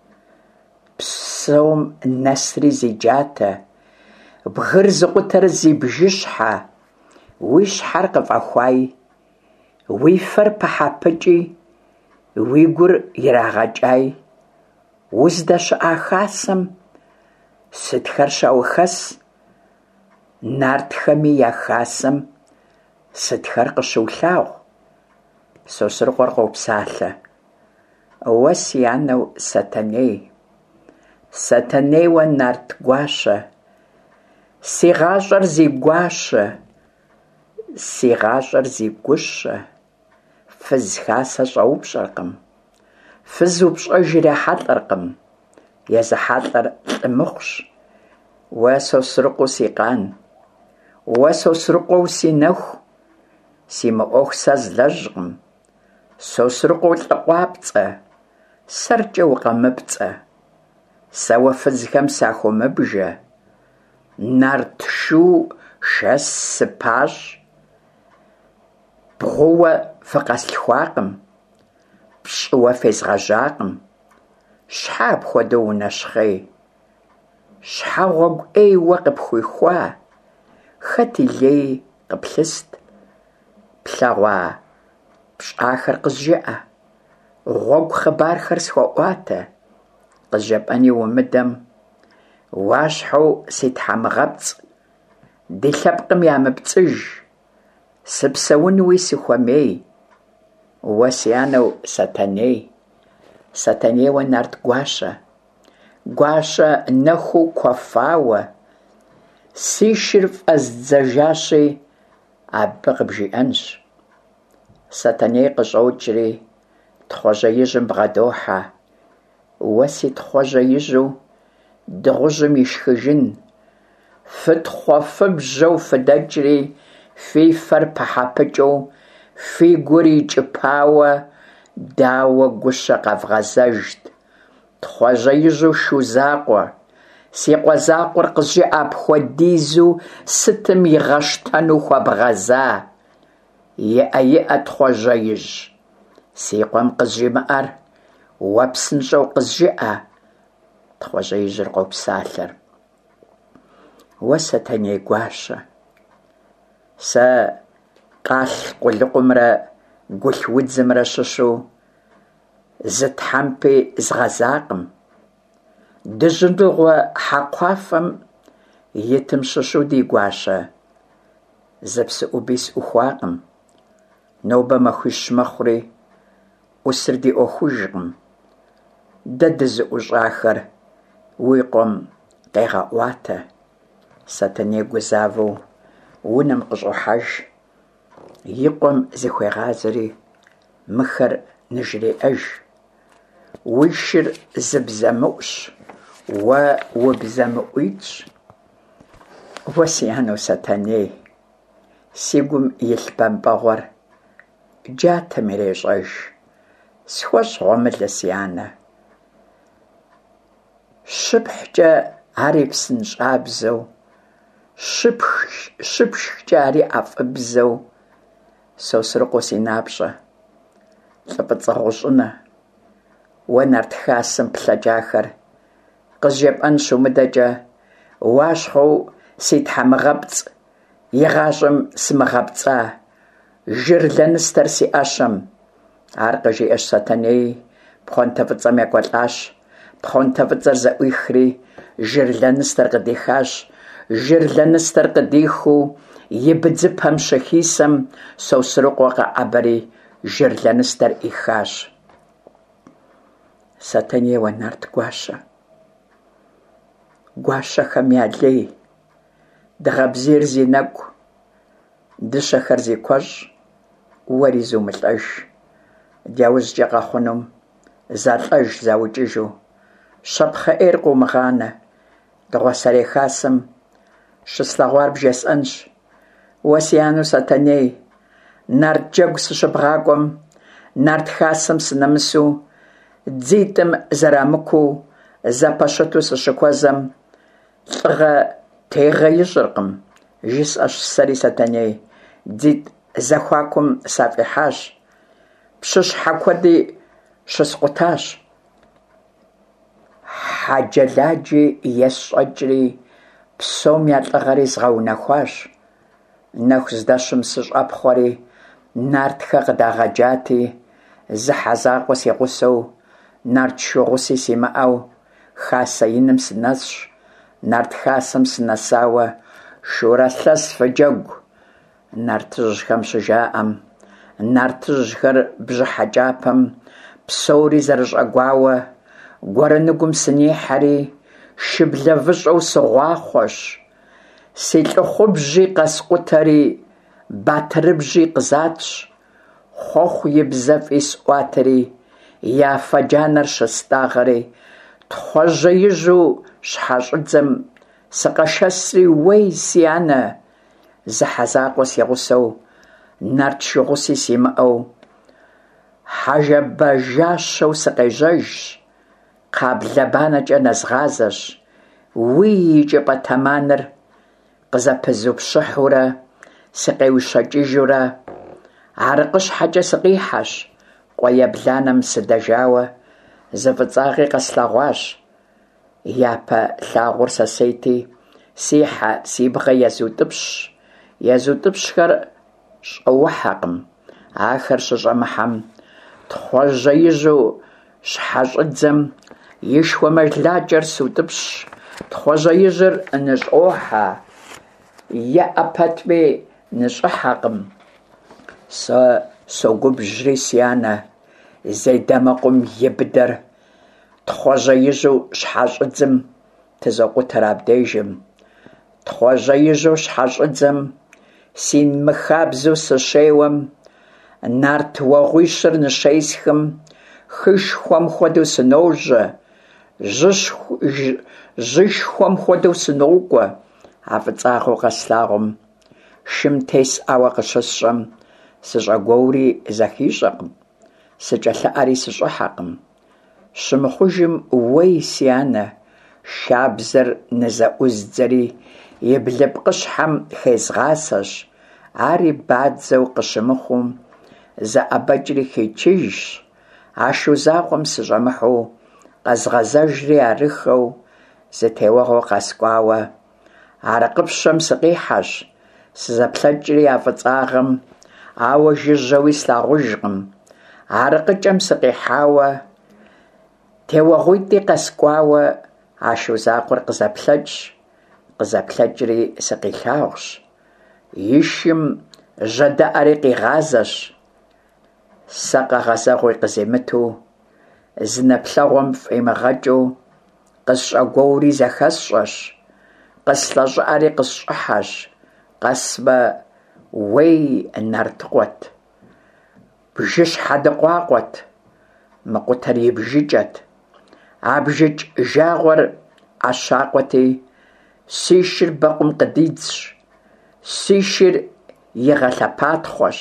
псом нэсри зи джатэ, бгыр зыкъутэр зи бжыщхьэ, уи щхьэр къыфӏэхуаи, уи фэр пыхьэ-пыкӏи, уи гур ирагъэкӏаи, уздэщыӏа хасэм сытхэр щаухэс, нартхэми я хасэм сытхэр къыщыулъагъу? Сосрыкъуэр къопсалъэ: Уэ си анэу Сэтэней, Сэтэнейуэ нарт гуащэ, си гъащӏэр зи гуащэ, си гъащӏэр зи гущэ, фыз хасэ щӏэупщӏэркъым, фыз упщӏэж ирахьэлӏэркъым, езыхьэлӏэр лӏы мыхъущ. Уэ Сосрыкъуэу си къан, уэ Сосрыкъуэу си нэху, си мыӏуэху сэ злэжькъым. Сосрыкъуэу лӏы къуапцӏэ, сэркӏэ укъэмыпцӏэ, сэ уэ фызхэм сахыумыбжэ, нарт шу шэс сыпащӏ, бгъууэ фыкъэслъхуакъым, пщӏыуэ фезгъэжьакъым. Щхьэ апхуэдэу унэщхъей? Щхьэ гъуэгу ӏей уэ къыпхуихуа? Хэт и лей къыплъыст? Плъэгъуа пщӏахэр къызжыӏэ, гъуэгу хъыбархэр схуэӏуатэ. Къызжепӏэни умыдэм, уащхьэу си тхьэмыгъэпцӏ, ди лъэпкъым ямыпцӏыж, сыпсэунуи сыхуэмей. Уэ си анэу Сэтэней, Сэтэнейуэ нарт гуащэ, гуащэ нэхуу куэфауэ, си шыр фӏэздзэжащи, абы къыбжиӏэнщ. Сэтэней къыщӏокӏри Тхъуэжьеижьым бгъэдохьэ. Уэ си Тхъуэжьеижьу дыгъужьым ишхыжын, фытхъуэфыбжьэу фыдэкӏри, фи фэр пыхьэ-пыкӏыу, фи гур икӏыпауэ, дауэ гущэ къэвгъэзэжт? Тхъуэжьеижьу шу закъуэ, си къуэ закъуэр къызжыӏэ, апхуэдизу сытым игъэщтэну хуэбгъэза? Иӏэ, иӏэ, Тхъуэжьеижь, си къуэм къызжимыӏэр уэ псынщӏэу къызжыӏэ. Тхъуэжьеижьыр къопсалъэр: Уэ Сэтэней гуащэ, сэ къалъ къулыкъумрэ гулъ удзымрэ щыщу зы тхьэмпи згъэзакъым. Дыжьыныгъуэ хьэкхъуафэм итым щыщу ди гуащэ зы псыӏуби сӏухуакъым. Нобэ махуищ мэхъури, ӏусыр ди ӏуэхужкъым. Дэ дызыӏущӏахэр уи къуэм къегъэӏуатэ. Сэтэней гузавэу унэм къыщӏохьэж, и къуэм зыхуегъазэри мыхэр ныжреӏэж: Уи шыр зы бзэмыӏущ, уэ убзэмыӏуитӏщ. Уэ си анэу Сэтэней, Си гум илъ бэмпӀэгъуэр джатэм ирещӀэж, схуэщӀ гъуэмылэ, си анэ. ЩыпхькӀэ ари псынщӀабзэу, щыпшхкӀэ ари ӀэфӀыбзэу, Сосрыкъуэу си напщӀэ, лӀы фӀыцӀэ гъущӀынэ, уэ нарт хасэм плъэкӀахэр къызжепӀэн щумыдэкӀэ, Уащхъуэу си тхьэмыгъэпцӀ, игъащӀэм сымыгъэпцӀа, жыр лэныстэр си Ӏэщэм. Ар къыжиӀэщ Сэтэнеи, пхъуантэ фӀыцӀэм екӀуэлӀащ. Пхъуантэ фӀыцӀэр зэӀуихри, жыр лэныстэр къыдихащ. Жыр лэныстэр къыдихыу и быдзыпэм щыхисэм, Сосрыкъуэ къэӀэбэри жыр лэныстэр Ӏихащ. Сэтэнейуэ нарт гуащэ, гуащэхэм я лей, дыгъэ бзийр зи нэкӀу, дыщэхэр зи куэщӀ, уэри зумылӀэж, дяужькӀэ къэхъунум залӀэж-заукӀыжу, щапхъэ Ӏейр къыумыгъанэ. Дыгъуасэрей хасэм щыслъэгъуар бжесӀэнщ. Уэ си анэу Сэтэней, нарт джэгу сыщыбгъакӀуэм, нарт хасэм сынэмысу, дзитӀым зэрамыкуу зэпэщыту сыщыхуэзэм, лӀыгъэ тегъэ ищӀыркъым, жысӀэщ сэри Сэтэней, дзитӀ зэхуакум сафӀихьащ, пщыщхьэ куэди щыскъутащ. Хьэджэладжи есщӀэкӀри, псом я лӀыгъэри згъэунэхуащ. Нэху здэщым сыщӀэпхъуэри, нартхэ къыдагъэджати, зы хьэ закъуэ си гъусэу, нарт шу гъуси симыӀэу, хасэ иным сынэсщ. Нарт хасэм сынэсауэ, шурэ лъэс фыджэгу, нартыжьхэм щыжаӀэм, нартыжьхэр бжьыхьэкӀапэм псори зэрыщӀэгуауэ, гуэрэныгум сынихьэри, шыблэ выщӀэу сыгъуахъуэщ, си лӀыхъубжьи къэскъутэри, батырыбжьи къызатщ, хъуэхъу и бзэ фӀисӀуатэри, я афэ джанэр щыстӀагъэри, Тхъуэжьеижьу щхьэщӀыдзэм сыкъэшэсри, уей, си анэ, зы хьэ закъуэ си гъусэу, нарт шу гъуси симыӀэу, хьэжэбажащэу сыкъежьэжщ, кхъаблэ банэкӀэ нэзгъазэщ, уи икӀыпӀэ тэманэр къызэпызупщыхьурэ сыкъеущэкӀыжурэ, АрыкъыщхьэкӀэ сыкъихьэщ, къуэ ебланэм сыдэжауэ, зы фӀыцӀагъи къэслъэгъуащ. Япэ лъагъуэр сэсейти, си хьэ, си бгъэ езутӀыпщщ, езутӀыпщхэр щӀэухьэкъым. Ахэр щыщӀэмыхьэм, Тхъуэжьеижьу щхьэщӀыдзэм и шхуэмылакӀэр сутӀыпщщ, Тхъуэжьеижьыр ныщӀохьэ, еӀэ пэтми, ныщӀыхьэкъым. Сэ согубжьри, си анэ, зей дамэкъум и быдэр Тхъуэжьеижьу щхьэщӀыдзэм тызокъутэр абдежым. Тхъуэжьеижьу щхьэщӀыдзэм си мыхабзэу сыщеуэм, нарт уэгъуищыр ныщесхым, хышхуэм хуэдэу сыножьэ, жьышхуэм хуэдэу сынокӀуэ. А фӀыцӀагъэу къэслъагъум, шым тесӀауэ къыщысщӀэм, сыщӀэгуоури зэхищӀэкъым, сыкӀэлъыӀэри сыщӀыхьэкъым. Щымыхъужым, уей, си анэ, шабзэр нызэӀуздзэри и блыпкъыщхьэм хезгъасэщ, ари бадзэу къыщымыхъум, зэӀэбэкӀри хичыжщ, а шу закъуэм сыщӀэмыхьэу къэзгъэзэжри арыххэу зы теуэгъуэ къэскӀуауэ, Арыкъыпщэм сыкъихьэщ, сызэплъэкӀри а фӀыцӀагъэм, ауэ жыжьэуи слъагъужкъым. АрыкъыкӀэм сыкъихьауэ, теуэгъуитӀи къэскӀуауэ, а шу закъуэр къызэплъэкӀщ, къызэплъэкӀри сыкъилъагъущ, и шым жьэдэӀэри къигъазэщ, сэ къэгъэзэгъуи къызимыту, зы нэплъэгъуэм фӀимыгъэкӀыу, къысщӀэгуоури зэхэсщӀэщ, къыслъэщӀыӀэри къысщӀыхьэщ, къэсмэ, уей, нартыкъуэт, бжыщхьэ дыкъуакъуэт, Мыкъутэр и бжыкӀэт. А бжыкӀ жагъуэр Ӏэщакъуэти, си шыр бэкъум къыдидзщ, си шыр игъэлъэпатхъуэщ,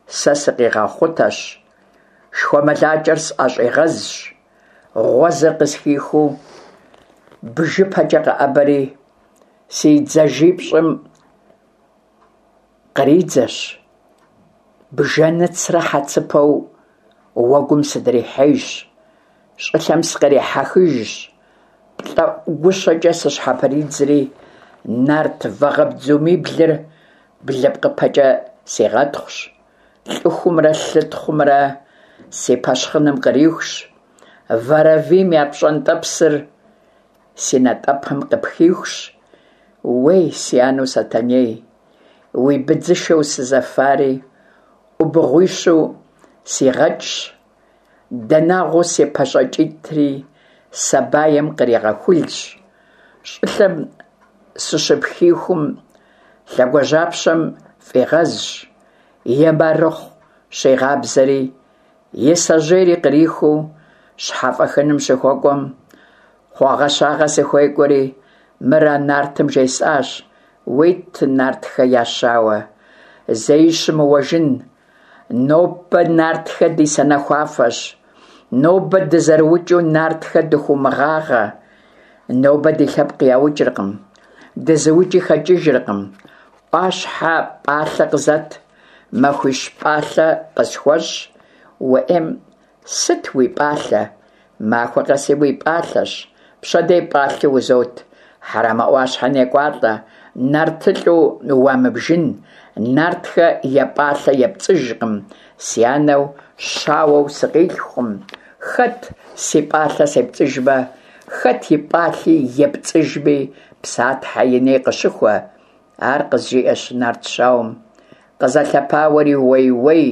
сэ сыкъигъэхъутэщ, шхуэмылакӏэр сӏэщӏигъэзщ, гъуэзыр къысхихыу бжыпэкӏэ къэӏэбэри, си дзажипщӏым къридзэщ, бжэныцрэ хьэцыпэу уэгум сыдрихьейщ, щӏылъэм сыкърихьэхыжщ, плӏэӏу гущэкӏэ сыщхьэпридзри, нарт вагъэбдзумиблыр блыпкъыпэкӏэ сигъэтхъущ, лӏыхумрэ лъытхъумрэ си пэщхъыным кърихущ, вэрэвийм я пщӏэнтӏэпсыр си натӏэпэм къыпхихущ. Уей, си анэу Сэтэней, уи быдзышэу сызэфари ӏубыгъуищу сигъэкӏщ, данагъуэу си пащӏэкӏитӏри сабаем къригъэхулщ, щӏылъэм сыщыпхихум лъэгуажьапщэм фӏигъэзщ, и марыхъу щигъабзэри, и сэжьейри кърихыу щхьэфӏэхыным щыхуэкӏуэм, хъуагъэщагъэ сыхуекӏуэри, мыр а нартым жесӏащ: уит, нартхэ я щауэ, зэи щымыуэжын, нобэ нартхэ ди санэхуафэщ, нобэ дызэрыукӏыу нартхэ дыхыумыгъагъэ, нобэ ди лъэпкъ яукӏыркъым, дызыукӏи хэкӏыжыркъым, ӏуащхьэ пӏалъэ къызэт, махуищ пӏалъэ къысхуэщӏ, уӏейм сыт уи пӏалъэ, махуэ къэси уи пӏалъэщ, пщэдей пӏалъи узот, Хьэрэмэ ӏуащхьэ некӏуалӏэ, нартылӏу уамыбжын, нартхэ я пӏалъэ епцӏыжкъым, си анэу щауэу сыкъилъхукъым, хэт си пӏалъэ сепцӏыжмэ, хэт и пӏалъи епцӏыжми, Псатхьэ и ней къыщыхуэ. Ар къызжиӏэщ нарт щауэм, къызэлъэпауэри уей-уей,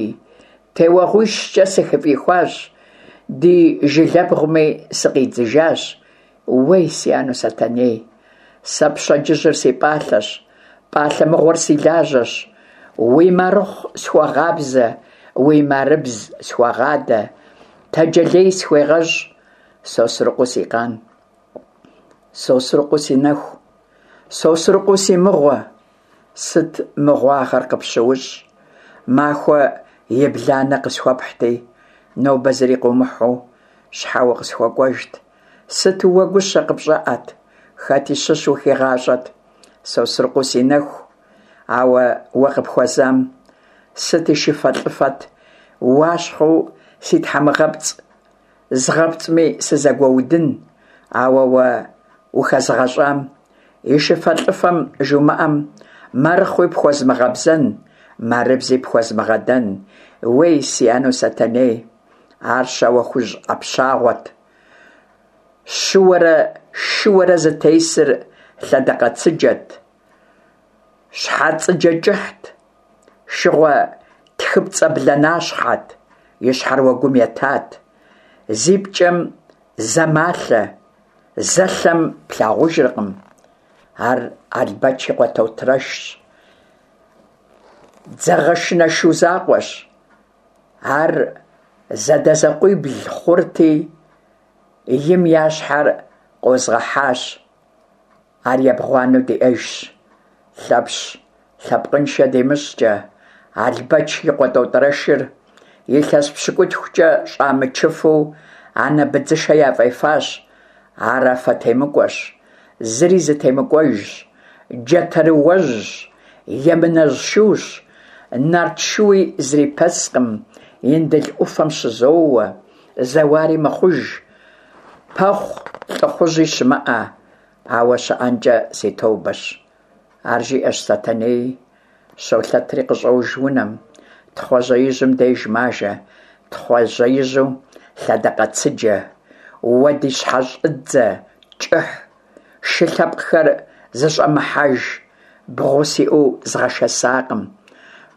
теуэгъуищкӏэ сыхыфӏихуащ, ди жылэбгъуми сыкъидзыжащ. Уей, си анэу Сэтэней, сэ пщэдджыжьыр си пӏалъэщ, пӏалъэ мыгъуэр си лажьэщ, уи марыхъу схуэгъабзэ, уи марыбз схуэгъадэ, тэджэлей схуегъэщӏ, Сосрыкъуэу си къан, Сосрыкъуэу си нэху, Сосрыкъуэу си мыгъуэ, сыт мыгъуагъэр къыпщыущӏ, махуэ ебланэ къысхуэпхьти, нобэ зыри къыумыхьу, щхьэ укъысхуэкӏуэжт, сыту уэ гущэ къыпщӏэӏэт, хэти щыщ ухигъащӏэт, Сосрыкъуэу си нэху, ауэ уэ къыпхуэзам, сыт и шыфэлӏыфэт, уащхъуэу си тхьэмыгъэпцӏ, згъэпцӏми сызэгуэудын, ауэ уэ ухэзгъэщӏам, и шыфэлӏыфэм жумыӏэм, марыхъуи пхуэзмыгъэбзэн, марыбзи пхуэзмыгъэдэн, уей, си анэу Сэтэней, ар Щауэхужь ӏэпщагъуэт, щыуэрэ шыуэрэ зытесыр лъэдакъэцыджэт, щхьэцӏыджэ кӏыхьт, шыгъуэ тхыпцӏэ бланащхьэт, и щхьэр уэгум етат, зи пкӏэм зэ малъэ, зэ лъэм плъагъужыркъым. Ар Албэч и къуэ Тотрэшщ, дзэгъэшынэ шу закъуэщ. Ар зэдэзэкъуибл хъурти, им я щхьэр къозгъэхьащ, ар ебгъуанэу диӏэжщ. Лъэпщ лъэпкъыншэ димыщӏкӏэ, Албэч и къуэ Тотрэшыр илъэс пщыкӏутхукӏэ щӏамычыфу анэ быдзышэ яфӏефащ. Ар афэтемыкӏуэщ, зыри зытемыкӏуэжщ, джатэрыуэжьщ, емынэжь шущ, нарт шууи зрипэскъым, Индыл ӏуфэм щызоуэ, зэуари мыхъуж, пэхъу лӏыхъужьи щымыӏэ, ауэ щыӏэнкӏэ си тобэщ. Ар жиӏэщ Сэтэнеи, щолъэтри къыщӏож унэм, Тхъуэжьеижьым деж мажэ, Тхъуэжьеижьу лъэдакъэцыджэ, уэ ди щхьэщӏыдзэ кӏыхь, шы лъэпкъхэр зыщӏэмыхьэж, бгъу сиӏэу згъэшэсакъым,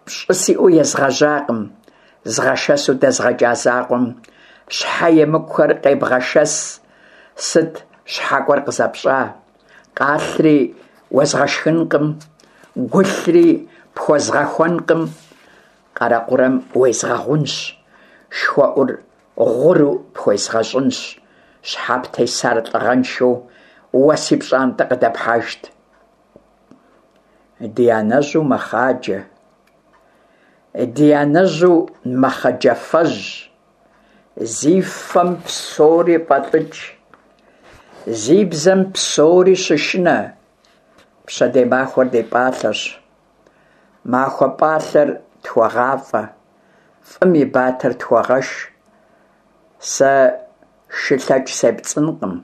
пщӏы сиӏэу езгъэжьакъым, згъэшэсу дэзгъэкӏа закъуэм щхьэ емыкӏухэр къебгъэшэс, сыт щхьэкӏуэр къызэпщӏа? Къалъри уэзгъэшхынкъым, гулъри пхуэзгъэхуэнкъым, къэрэкъурэм уезгъэгъунщ, шхуэӏур гъуру пхуезгъэщӏынщ, щхьэ птесар лӏыгъэншэу уэ си пщӏантӏэ къыдэпхьэжт. Ди анэжьу мэхъаджэ, Ди анэжьу Мэхъэджэфэжь, зи фэм псори фӏэлӏыкӏ, зи бзэм псори щышынэ, пщэдей махуэр ди пӏалъэщ. Махуэ пӏалъэр тхуэгъафӏэ, фӏым и батэр тхуэгъэш. Сэ шы лъэкӏ сепцӏынкъым.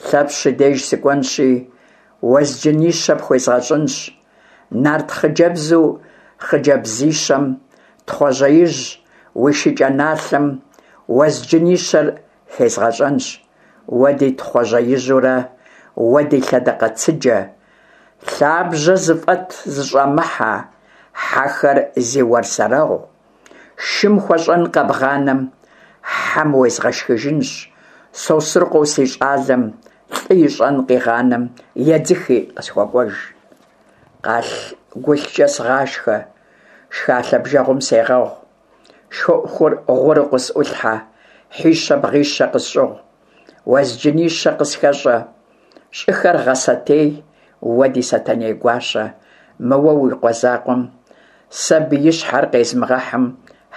Лъэпщ и деж сыкӏуэнщи, уэзджынищэ пхуезгъэщӏынщ. Нарт хъыджэбзу хъыджэбзищэм, Тхъуэжьеижь уи шыкӏэ налъэм уэзджынищэр хезгъэщӏэнщ. Уэ ди Тхъуэжьеижьурэ, уэ ди лъэдакъэцыджэ, лъабжьэ зыфӏэт зыщӏэмыхьэ, хьэхэр зи уэрсэрэгъу, шым хуэщӏэн къэбгъанэм, хьэм уезгъэшхыжынщ. Сосрыкъуэу си щӏалэм лӏы ищӏэн къигъанэм, едзыхи къысхуэкӏуэж. Къалъ-гулъкӏэ сыгъашхэ, шхалъэ бжэгъум сегъэгъу, шхуэӏухэр гъуру къысӏулъхьэ, хьищэ-бгъищэ къысщӏыгъу, уэзджынищэ къысхэщӏэ, щӏыхэр гъэсэтей, уэ ди Сэтэней гуащэ, мы уэ уи къуэ закъуэм сэ биищхьэр къезмыгъэхьым,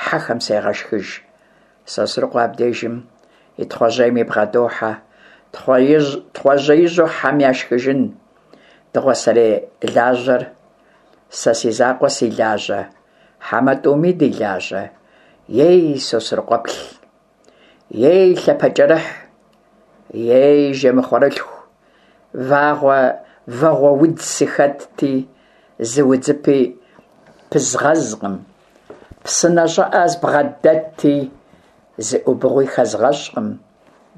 хьэхэм сегъэшхыж. Сосрыкъуэ абдежым и Тхъуэжьейми бгъэдохьэ. Тхъуэжьеижьу хьэм яшхыжын, дыгъуасэрей лажьэр сэ си закъуэ си лажьэ, хьэмэ тӏуми ди лажьэ? Ей, Сосрыкъуэплъ! Ей, лъапэкӏэрыхь! Ей, жэмыхъуэрылъху! Вагъуэ вагъуэудз сыхэтти, зы удзыпи пызгъэзкъым. Псынэ щӏыӏэ збгъэдэтти, зы ӏубыгъуи хэзгъэщӏкъым.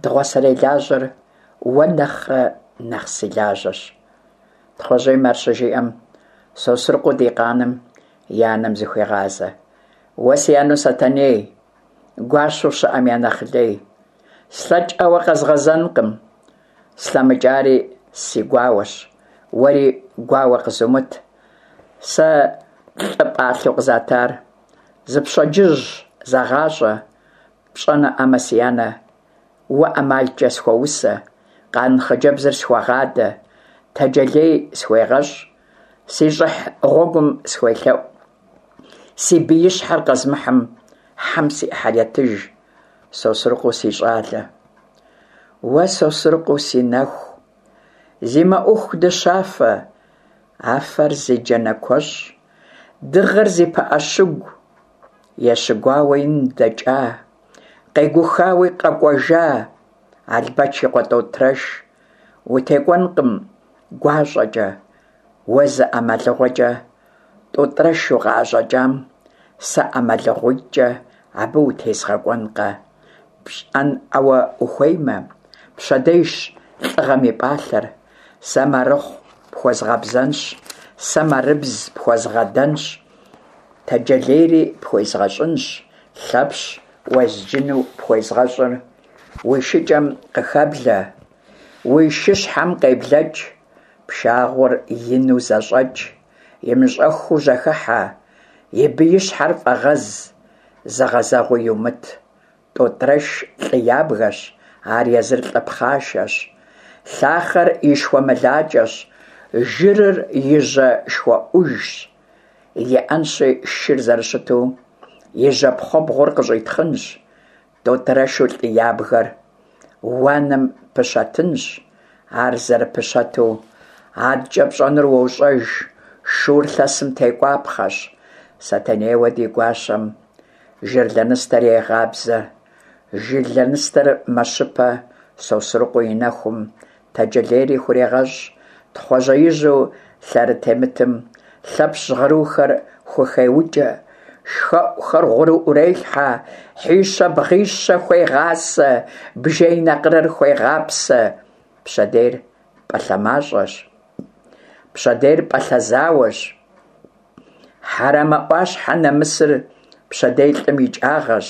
Дыгъуасэрей лажьэр уэ нэхърэ нэхъ си лажьэщ. Тхъуэжьейм ар щыжиӏэм, Сосрыкъуэу ди къаным и анэм зыхуегъазэ. Уэ си анэу Сэтэней, гуащэу щыӏэм я нэхъ лей. Слъэкӏӏауэ къэзгъэзэнкъым, слъэмыкӏари си гуауэщ, уэри гуауэ къызумыт. Сэ лӏы пӏалъэу къызатар зы пщэдджыжь зэгъащӏэ, пщӏэнуӏамэ, си анэ, уэ ӏэмалкӏэ схуэусэ, къан хъыджэбзыр схуэгъадэ, тэджэлей схуегъэщӏ, си щӏыхь гъуэгум схуелъэӏу. Си биищхьэр къэзмыхьым, хьэм си ӏыхьэр етыж, Сосрыкъуэу си щӏалэ. Уэ Сосрыкъуэу си нэху, зи мэӏуху дыщафэ, афэр зи джанэ куэщӏ, дыгъэр зи пыӏэ щыгу, ещыгуауэ ин дэкӏа, къегухауи къэкӏуэжа, Албэч и къуэ Тӏотрэш, утекӏуэнкъым гуащӏэкӏэ, уэ зы ӏэмалыгъуэкӏэ Тӏотӏрэш укъыӏэщӏэкӏам, сэ ӏэмалыгъуитӏкӏэ абы утезгъэкӏуэнкъэ. Пщӏэнӏауэ ухуеймэ, пщэдейщ лӏыгъэм и пӏалъэр. Сэ марыхъу пхуэзгъэбзэнщ, сэ марыбз пхуэзгъэдэнщ, тэджэлейри пхуезгъэщӏынщ, Лъэпщ уэзджыну пхуезгъэщӏыр уи шыкӏэм къыхэблэ, уи шыщхьэм къеблэкӏ, пшагъуэр ину зэщӏэкӏ, имыщӏэххэу жьэхыхьэ, и биищхьэр фӏэгъэз, зыгъэзэгъуи йумыт. Тӏотӏрэш лӏы ябгэщ, ар езыр лӏы пхъашэщ. Лъахъэр и шхуэмылакӏэщ, жырыр и жьэ шхуэӏужщ. Иӏэнщи шыр зэрыщыту и жьэ пхъуэбгъур къыщӏитхъынщ. Тӏотӏрэшу лӏы ябгэр уанэм пыщэтынщ, ар зэрыпыщэту адэкӏэ пщӏэнур уощӏэж, шур лъэсым текӏуапхъэщ. Сэтэнейуэ ди гуащэм жыр лэныстэр егъабзэ, жыр лэныстэр мэщыпэ, Сосрыкъуэ и нэхум тэджэлейри хурегъэщӏ, Тхъуэжьеижьу лъэрытемытым Лъэпщ жьгъырухэр хухеукӏэ, шхэӏухэр гъуру ӏурелъхьэ, хьищэ-бгъищэ хуегъасэ, бжей накъырэр хуегъапсэ. Пщэдейр пӏалъэ мащӏэщ, пщэдейр пӏалъэ зауэщ. Хьэрэмэ ӏуащхьэ нэмысыр пщэдей лӏым и кӏагъэщ.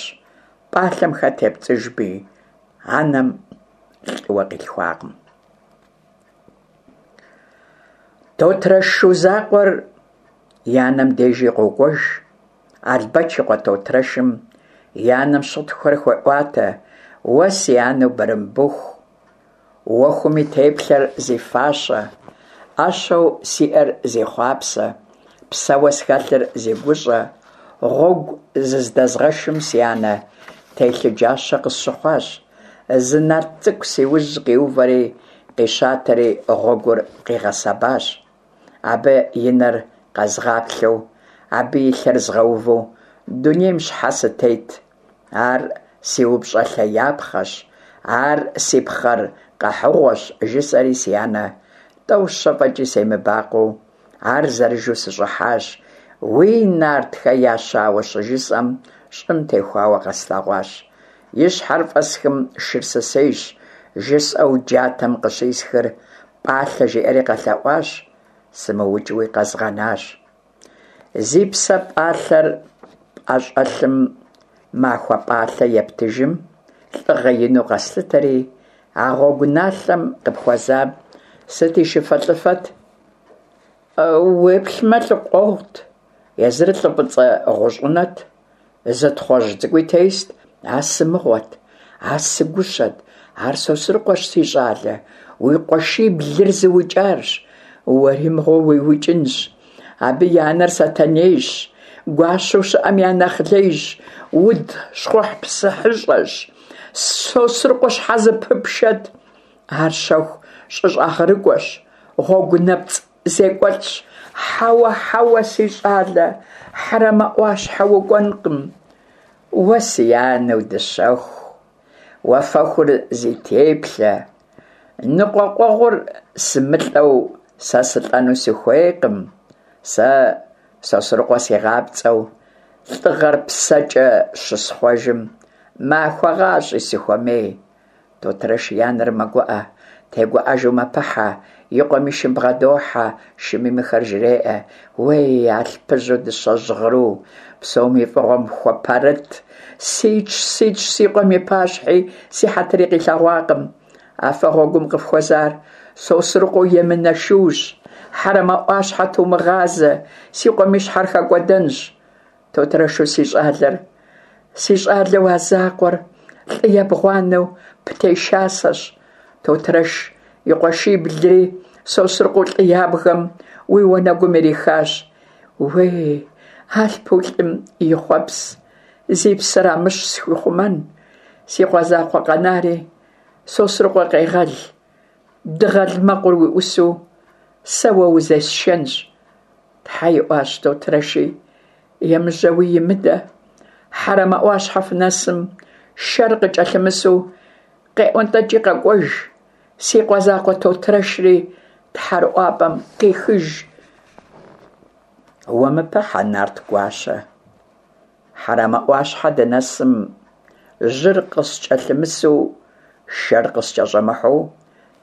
Пӏалъэм хэт епцӏыжми, анэм лӏыуэ къилъхуакъым. Тотрэш шу закъуэр и анэм дежи къокӏуэж. Албэч и къуэ Тотрэшым и анэм щытхъухэр хуеӏуатэ: Уэ си анэу Бырымбыху, уэхум и теплъэр зи фащэ, ӏэщэу сиӏэр зи хъуапсэ, псэуэ схэлъыр зи гущӏэ, Гъуэгу зыздэзгъэшым, си анэ, телъыджащэ къысщыхъуащ: зы нарт цӀыкӀу си ужь къиувэри, къищатэри гъуэгур къигъэсэбащ. Абы и нэр къэзгъаплъэу, абы и лъэр згъэуву дунейм щхьэ сытет? Ар си упщӀэлъеяпхъэщ, ар си пхъэр къэхьыгъуэщ, жысӀэри, си анэ, тӀэу-щэ фӀэкӀи семыбакъуэу, ар зэрыжу сыщӀыхьащ. Уи нартхэ я щауэ щыжысӀэм, щӀым техуауэ къэслъэгъуащ. И щхьэр фӀэсхым, шыр сысейщ, жысӀэу джатэм къыщисхыр, пӀалъэ жиӀэри къэлъэӀуащ, сымыукӀыуи къэзгъэнащ. Зи псэ пӀалъэр пӀэщӀэлъым махуэ пӀалъэ ептыжым, лӀыгъэ ину къэслъытэри, а гъуэгу налъэм къыпхуэзам сыт и шыфэлӀыфэт? Уеплъмэ, лӀы къуэгъут, езыр лӀы фӀыцӀэ гъущӀынэт, зы Тхъуэжь цӀыкӀуи тест. А сымыгъуэт, а сыгущэт, ар Сосрыкъуэщ, си щӀалэ, уи къуэшиблыр зыукӀарщ, уэри мыгъуэ уиукӀынщ. Абы и анэр Сэтэнейщ, гуащэу щыӀэм я нэхъ лейщ, уд щхъухьпсыхьыщӀэщ. Сосрыкъуэ щхьэ зэпыпшэт? Ар щэху щӀыщӀагъырыкӀуэщ, гъуэгу нэпцӀ зекӀуэлӀщ. Хьэуэ, хьэуэ, си щӀалэ, Хьэрэмэ Ӏуащхьэ укӀуэнкъым. Уэ си анэу дыщэху, уафэхур зи теплъэ, ныкъуэкъуэгъур сымылӀэу сэ сылӀэну сыхуейкъым. Сэ Сосрыкъуэ сигъапцӀэу лӀыгъэр псэкӀэ щысхъуэжым, махуэ гъащӀи сыхуэмей. Тотрэш и анэр мэгуӀэ, тегуӀэжу мэпыхьэ, и къуэм и шым бгъэдохьэ, шыми мыхэр жреӀэ: Уей, алъпыжьу дыщэ жьгъыру, псоми фӀыгъуэм хуэпэрыт, ситщ, ситщ си къуэм и пащхьи, си хьэтыри къилъэгъуакъым. Афэ гъуэгум къыфхуэзар Сосрыкъуэу емынэ шуущ. Хьэрэмэ Ӏуащхьэ тумыгъазэ, си къуэм и щхьэр хэкӀуэдэнщ. Тотрэшу си щӀалэр, си щӀалэу а закъуэр, лӀы ебгъуанэу птешасэщ. Тотрэш и къуэшиблри Сосрыкъуэу лӀы ябгэм уи уанэгум ирихащ. Уей, алъпу лӀым и хъуэпс, зи псэр Амыщ схуихъумэн, си къуэ закъуэ къэнари Сосрыкъуэ къегъэл, дыгъэл мэкъур уи Ӏусу сэ уэ узесшэнщ. Тхьэ иӀуащ Тотрэши, емыжьэуи имыдэ. Хьэрэмэ Ӏуащхьэ фынэсым, шэр къыкӀэлъымысу къеӀуэнтӀэкӀи къэкӀуэж, си къуэ закъуэ Тотрэшри тхьэрыӀуапӀэм къихыж. Уэмыпыхьэ, нарт гуащэ, Хьэрэмэ Ӏуащхьэ дынэсым, жьыр къыскӀэлъымысу, шэр къыскӀэщӀэмыхьэу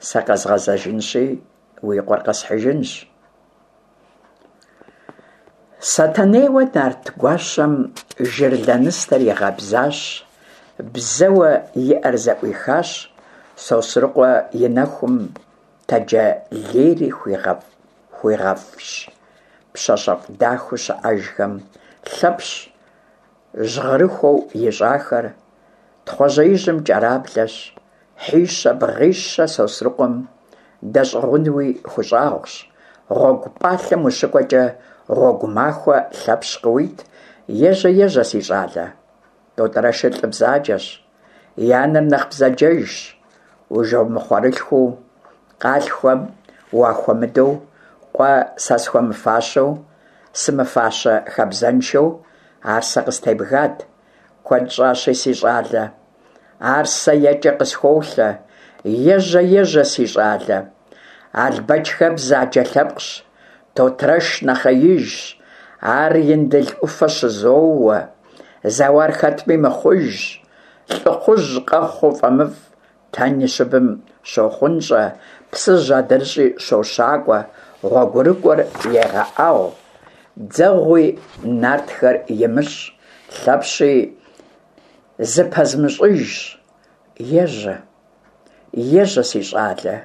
сэ къэзгъэзэжынщи, уи къуэр къэсхьыжынщ. Сэтэнейуэ нарт гуащэм жыр лэныстэр игъэбзащ, бзэуэ иӀэр зэӀуихащ, Сосрыкъуэ и нэхум тэджэлейри хуигъэфщ, пщащэфӀ дахэу щыӀэжхэм Лъэпщ жьгъырыхуэу ищӀахэр Тхъуэжьеижьым кӀэраблэщ, хьищэ-бгъищэ Сосрыкъуэм дэщӀыгъунуи хущӀагъущ. Гъуэгу пӀалъэм ущыкӀуэкӀэ, гъуэгу махуэ Лъэпщ къыуит, ежьэ, ежьэ, си щӀалэ. Тотрэшыр лӀы бзаджэщ, и анэр нэхъ бзаджэжщ. Ужэмыхъуэрылъхуу къалъхухэм уахуэмыдэу, къуэ сэ схуэмыфащэу, сымыфащэ хабзэншэу ар сэ къыстебгат. Куэд щӀащи, си щӀалэ, ар сэ екӀэ къысхуолъэ. Ежьэ, ежьэ, си щӀалэ. Албэчхэ бзаджэ лъэпкъщ, Тотрэш нэхъеижщ, ар Индыл Ӏуфэ щызоуэ, зэуар хэтми мыхъужщ, лӀыхъужь къэхъуу фӀэмыфӀ, Тэн и щыбым щохъунщӀэ, Псыжь адрыщӀи щощакӀуэ, гъуэгурыкӀуэр егъэӀэгъу, дзэгъуи нартхэр имыщӀ, Лъэпщи зыпэзмыщӀыжщ. Ежьэ, ежьэ, си щӀалэ.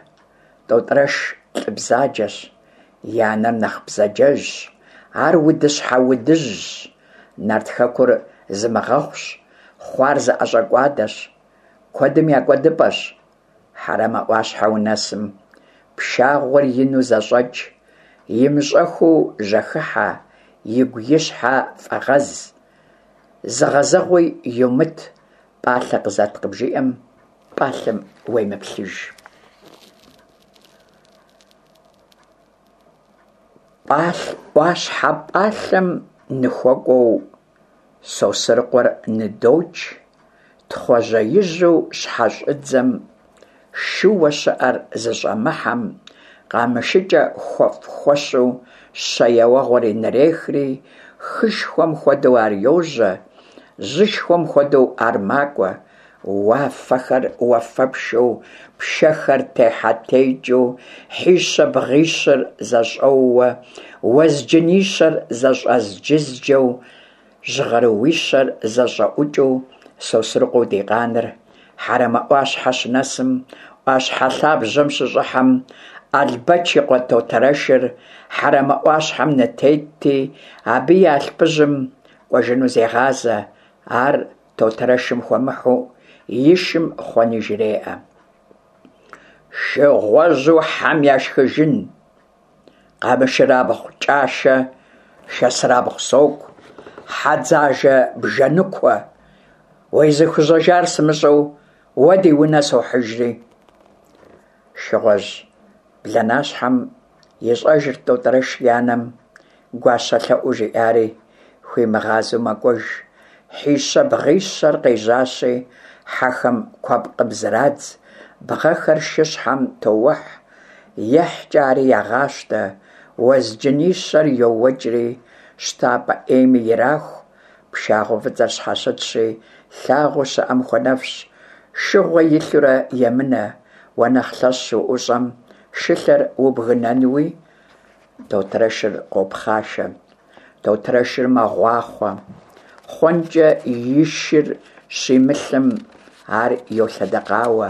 Тотрэш лӀы бзаджэщ, и анэр нэхъ бзаджэжщ, ар удыщхьэ удыжьщ, нарт хэкур зымыгъэхъущ, хъуар зыӀэщӀэкӀуадэщ, куэдым я кӀуэдыпӀэщ. Хьэрэмэ Ӏуащхьэ унэсым, пшагъуэр ину зэщӀэкӀ, имыщӀэхыу жьэхыхьэ, игу-и щхьэ фӀэгъэз. Зыгъэзэгъуи йумыт, пӏалъэ къызэт къыбжиӏэм, пӏалъэм уемыплъыж. ӏуащхьэ пӏалъэм ныхуэкӏуэу Сосрыкъуэр ныдокӏ, Тхъуэжьеижьу щхьэщӏыдзэм шыуэ щыӏэр зыщӏэмыхьэм къамышыкӏэ хуэфӏ-хуэщу щэ еуэгъуэри нырехри, хышхуэм хуэдэу ар йожьэ, жьышхуэм хуэдэу ар макӏуэ, уафэхэр уафэпшэу, пшэхэр техьэ-текӏыу, хьищэ-бгъищыр зэщӏэууэ, уэзджынищэр зэщӏэзджызджэу, жьгъырууищэр зэщӏэӏукӏыу Сосрыкъуэу ди къаныр Хьэрэмэ ӏуащхьэ щынэсым, ӏуащхьэ лъабжьэм щыщӏыхьэм, Албэч и къуэ Тотэрэшыр Хьэрэмэ ӏуащхьэм нытетти, абы и алъпыжьым кӏуэжыну зегъазэ. Ар Тотэрэшым хуэмыхьу и шым хъуэни жреӏэ: Шыгъуэжьу хьэм яшхыжын, къамышырабгъу кӏашэ, шэсырабгъу соку, хьэдзажэ бжэныкуэ, уезыхужьэжар сымыщӏэу уэ ди унэ сохьыжри. Шыгъуэжь бланащхьэм ищӏэжырт Тӏотӏрэш и анэм гуащэ лъэӏуу жиӏари, хуимыгъазэу мэкӏуэж. Хьищэ-бгъищэр къежьащи, хьэхэм куэпкъым зрадз, бгъэхэр шыщхьэм тоухь, ехькӏэ ари ягъащтэ, уэзджынищэр йоуэкӏри, щтапӏэ ӏейми ираху, пшагъуэ фӏыцӏэр щхьэщытщи, лъагъуэу щыӏэм хуэнэфщ, шыгъуэ илъурэ емынэ, уэ нэхъ лъэщ уӏущӏэм, шылъэр убгынэнуи? Тотрэшыр къопхъашэ, Тотрэшыр мэгъуахъуэ, хъуэнкӏэ и шыр щимылъым, ар йолъэдэкъауэ,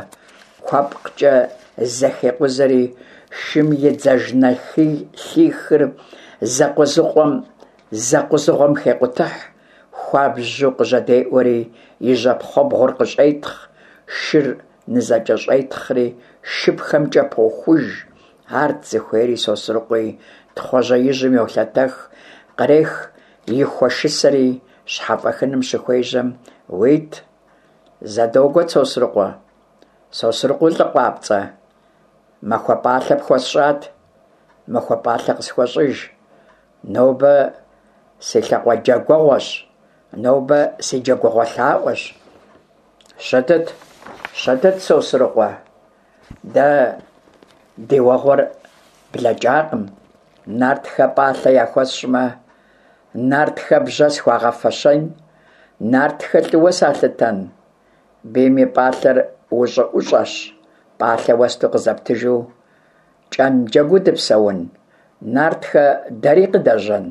куэпкъкӏэ зэхекъузэри, шым и дзажнэлъихыр зэкъузыгъуэм зэкъузыгъуэм хекъутыхь, хуабжьу къыжьэдеӏуэри, и жьэпхъуэбгъур къыщӏетхъ, шыр нызэкӏэщӏетхъри, шыпхэмкӏэ похуж. Арт зыхуейри Сосрыкъуи, Тхъуэжьеижьым йолъэтэх, кърех и хуэшысэри, щхьэфӏэхыным щыхуежьэм, уит, зэ догуэт, Сосрыкъуэ, Сосрыкъуэу лӏы къуапцӏэ, махуэ пӏалъэ пхуэсщӏат, махуэ пӏалъэ къысхуэщӏыж, нобэ си лъакъуэджэгугъуэщ, нобэ си джэгугъуэ лъаӏуэщ. Щытыт, щытыт, Сосрыкъуэ, дэ ди уэгъуэр блэкӏакъым, нартхэ пӏалъэ яхуэсщӏмэ, нартхэ бжьэ схуагъэфэщэн, нартхэ лӏыуэ салъытэн? Бийм и пӏалъэр ущӏыӏущӏэщ, пӏалъэ уэсту къызэптыжу кӏэн джэгуу дыпсэун, нартхэ дэри къыдэжьэн?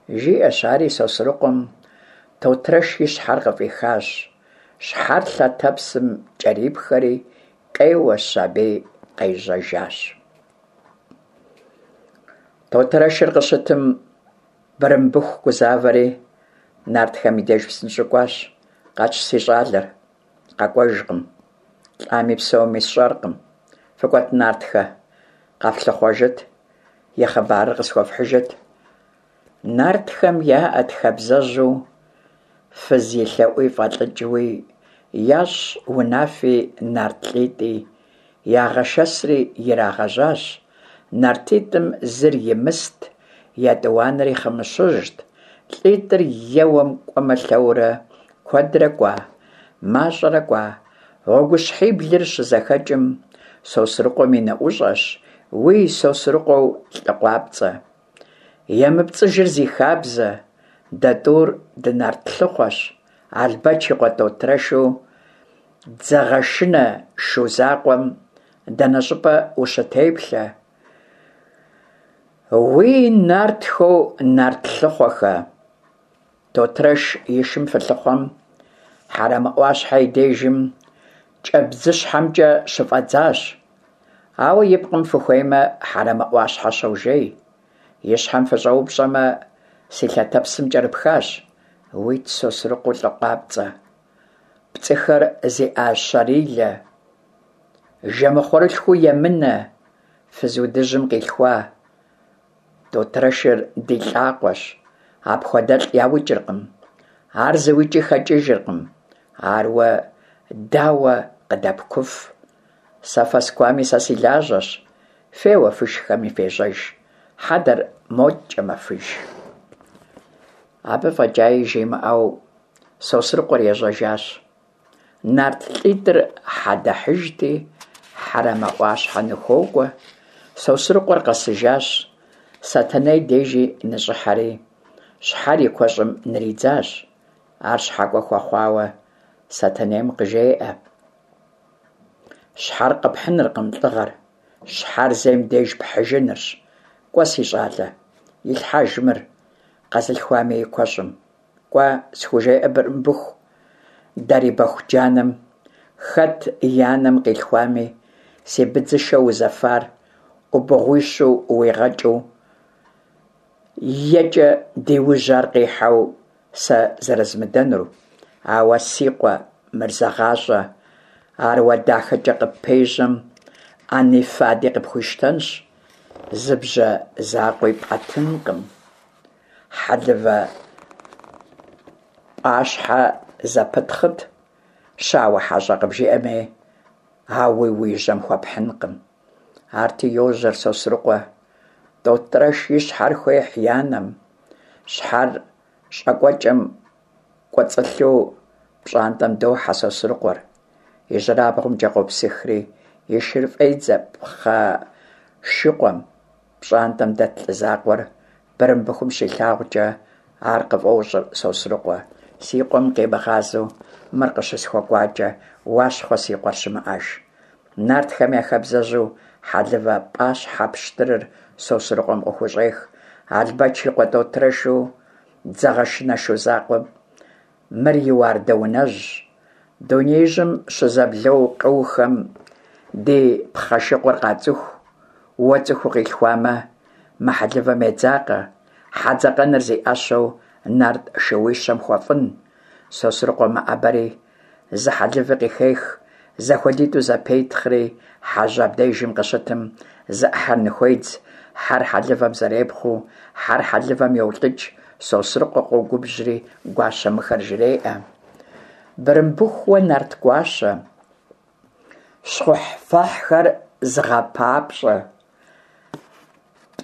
Жиӏэщ ари Сосрыкъуэм Тотрэш и щхьэр къыфӏихащ, щхьэр лъэтэпсым кӏэрипхэри, къеуэщ аби къежьэжащ. Тотрэшыр къыщытым, Бырымбыху гузавэри, нартхэм и деж псынщӏэу кӏуащ: Къэтщ си щӏалэр, къэкӏуэжкъым, лӏами псэуми сщӏэркъым, фыкӏуэт нартхэ, къэфлъыхъуэжыт, и хъыбарыр къысхуэфхьыжыт. Нартхэм яӏэт хабзэжьу, фыз и лъэӏуи фӏэлӏыкӏыуи, ящӏ унафи нарт лӏитӏи, ягъэшэсри ирагъэжьащ. Нартитӏым зыр Имыст, етӏуанэри Хъымыщыжьт. Лӏитӏыр еуэм кӏуэмэ-лъэурэ, куэдрэ кӏуа, мащӏэрэ кӏуа, гъуэгущхьиблыр щызэхэкӏым, Сосрыкъуэм и нэӏущӏэщ: Уий, Сосрыкъуэу лӏы къуапцӏэ, емыпцӏыжыр зи хабзэ, дэ тӏур дынарт лъыхъуэщ, Албэч и къуэ Тотрэшу дзэгъэшынэ шу закъуэм дэнэ щӏыпӏэ ущытеплъэ? Уий, нартхэу нарт лъыхъуэхэ, Тотрэш и шым фылъыхъуэм, Хьэрэмэ ӏуащхьэ и дежым кӏэбдзыщхьэмкӏэ щыфӏэдзащ. Ауэ и пкъым фыхуеймэ, Хьэрэмэ ӏуащхьэ щожей. И щхьэм фыщӏэупщӏэмэ, си лъэтэпсым кӏэрыпхащ. Уит, Сосрыкъуэу лӏы къуапцӏэ, пцӏыхэр зи ӏэщэрилэ, жэмыхъуэрылъхуу емынэ, фыз удыжьым къилъхуа, Тотрэшыр ди лӏакъуэщ, апхуэдэлӏ яукӏыркъым. Ар зыукӀи хэкӀыжыркъым. Ар уэ дауэ къыдэпкуф? Сэ фэскуами сэ си лажьэщ. Феуэ фышхэми фежьэж. Хьэдэр моткӀэ мэфыж. Абы фӀэкӀаи жимыӀэу, Сосрыкъуэр ежьэжащ. Нарт лӀитӀыр хьэдэхьыжти, Хьэрэмэ Ӏуащхьэ ныхуокӀуэ. Сосрыкъуэр къэсыжащ, Сэтэней дежи ныщӀыхьэри, щхьэр и куэщӀым нридзащ. Ар щхьэкӀуэ хуэхъуауэ, Сэтэнейм къыжеӀэ: Щхьэр къэпхьыныркъым лӀыгъэр, щхьэр зейм деж пхьыжынырщ. КӀуэ, си щӀалэ, илъхьэж мыр къэзылъхуами и куэщӀым. КӀуэ, схужеӀэ Бырымбыху Дарибэху джанэм, хэт и анэм къилъхуами, си быдзышэ узэфар Ӏубыгъуищу уигъэкӀыу, екӀэ ди ужь ар къихьэу сэ зэрызмыдэнур. Ауэ, си къуэ, мыр зэгъащӀэ: ар уэ дахэкӀэ къыппежьэм, Ӏэни фади къыпхуищтэнщ, зы бжьэ закъуи пӀэтынкъым. Хьэлывэ пӀащхьэ зэпытхъыт, щауэ хьэщӀэ къыбжиӀэми, ауи уи жьэм хуэпхьынкъым. Арти йожьэр Сосрыкъуэ. ТӀотӀрэш и щхьэр хуехь и анэм. Щхьэр щӀакӀуэкӀэм кӀуэцӀылъу пщӀантӀэм дохьэ Сосрыкъуэр. ИжьырабгъумкӀэ къопсыхри, и шыр фӀедзэ пхъэшыкъуэм. ПщӀантӀэм дэт лӀы закъуэр Бырымбыхум щилъагъукӀэ, ар къыфӀощӀыр Сосрыкъуэ: «Си къуэм къимыгъазэу мыр къыщысхуэкӀуакӀэ, Уащхъуэ си къуэр щымыӀэж». Нартхэм я хабзэжьу хьэлывэ пӀащхьэ пщтырыр Сосрыкъуэм къыхущӀех. Албэч и къуэ ТӀотрэшу дзэгъэшынэ шу закъуэм мыр и уардэунэжьщ. Дунеижьым щызэблэу къыухэм ди пхъэшыкъур къацӀыху. Уэ цӀыху укъилъхуамэ, мы хьэлывэм едзакъэ, хьэ дзакъэныр зи Ӏэщэу нарт шууищэм хуэфӀын. Сосрыкъуэ мэӀэбэри зы хьэлыви къыхех, зэхуэдитӀу зэпетхъри, хьэжь абдежым къыщытым зы Ӏыхьэр ныхуедз. Хьэр хьэлывэм зэрепхъуэу, хьэр хьэлывэм йолӀыкӀ. Сосрыкъуэ къогубжьри гуащэм мыхэр жреӀэ: Бырымбыхууэ нарт гуащэ, щхъухьфэхьхэр зыгъэпапщӀэ,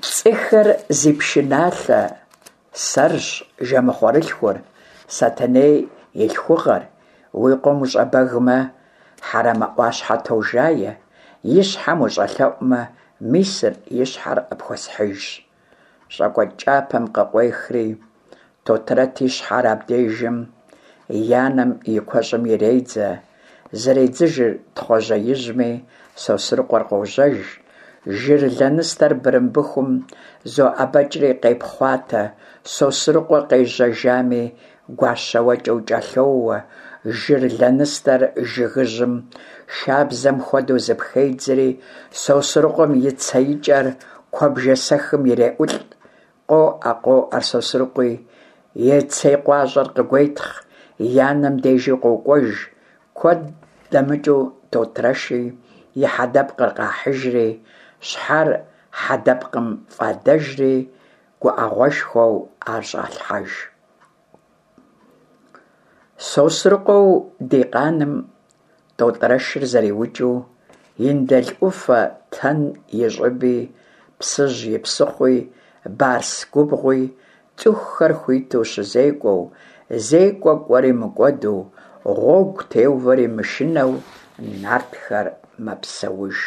пцӀыхэр зи пшыналъэ, сэрщ жэмыхъуэрылъхур, Сэтэней и лъхугъэр. Уи къуэм ущӀэбэгмэ, Хьэрэмэ Ӏуащхьэ тожае, и щхьэм ущӀэлъэӀумэ, мисыр, и щхьэр къыпхуэсхьыжщ. ЩӀакӀуэ кӀапэм къыкъуехри, Тотрэт и щхьэр абдежым и анэм и куэщӀым иредзэ. Зэредзыжыр Тхъуэжьеижьми, Сосрыкъуэр къожьэж. Жыр лэныстэр Бырымбыхум зоӀэбэкӀри къепхъуатэ. Сосрыкъуэ къежьэжами, гуащэуэкӀэу кӀэлъоуэ. Жыр лэныстэр жыгыжьым шабзэм хуэдэу зыпхедзри, Сосрыкъуэм и цеикӀэр куэбжэ сэхым иреӀулӀ. КъоӀэ, къоӀэр Сосрыкъуи, и цей къуащӀэр къыгуетхъ, и анэм дежи къокӀуэж. Куэд дэмыкӀыу Тотрэши и хьэдэпкъыр къахьыжри, щхьэр хьэдэпкъым фӀадэжри, гуӀэгъуэшхуэу ар щӀалъхьэж. Сосрыкъуэу ди къаным ТӀотӀрэшыр зэриукӀыу, Индыл Ӏуфэ Тэн и щӀыби, Псыжь и псыхъуи, Барс губгъуи цӀыхухэр хуиту щызекӀуэу, зекӀуэ кӀуэри мыкӀуэду, гъуэгу теувэри мышынэу нартхэр мэпсэуж.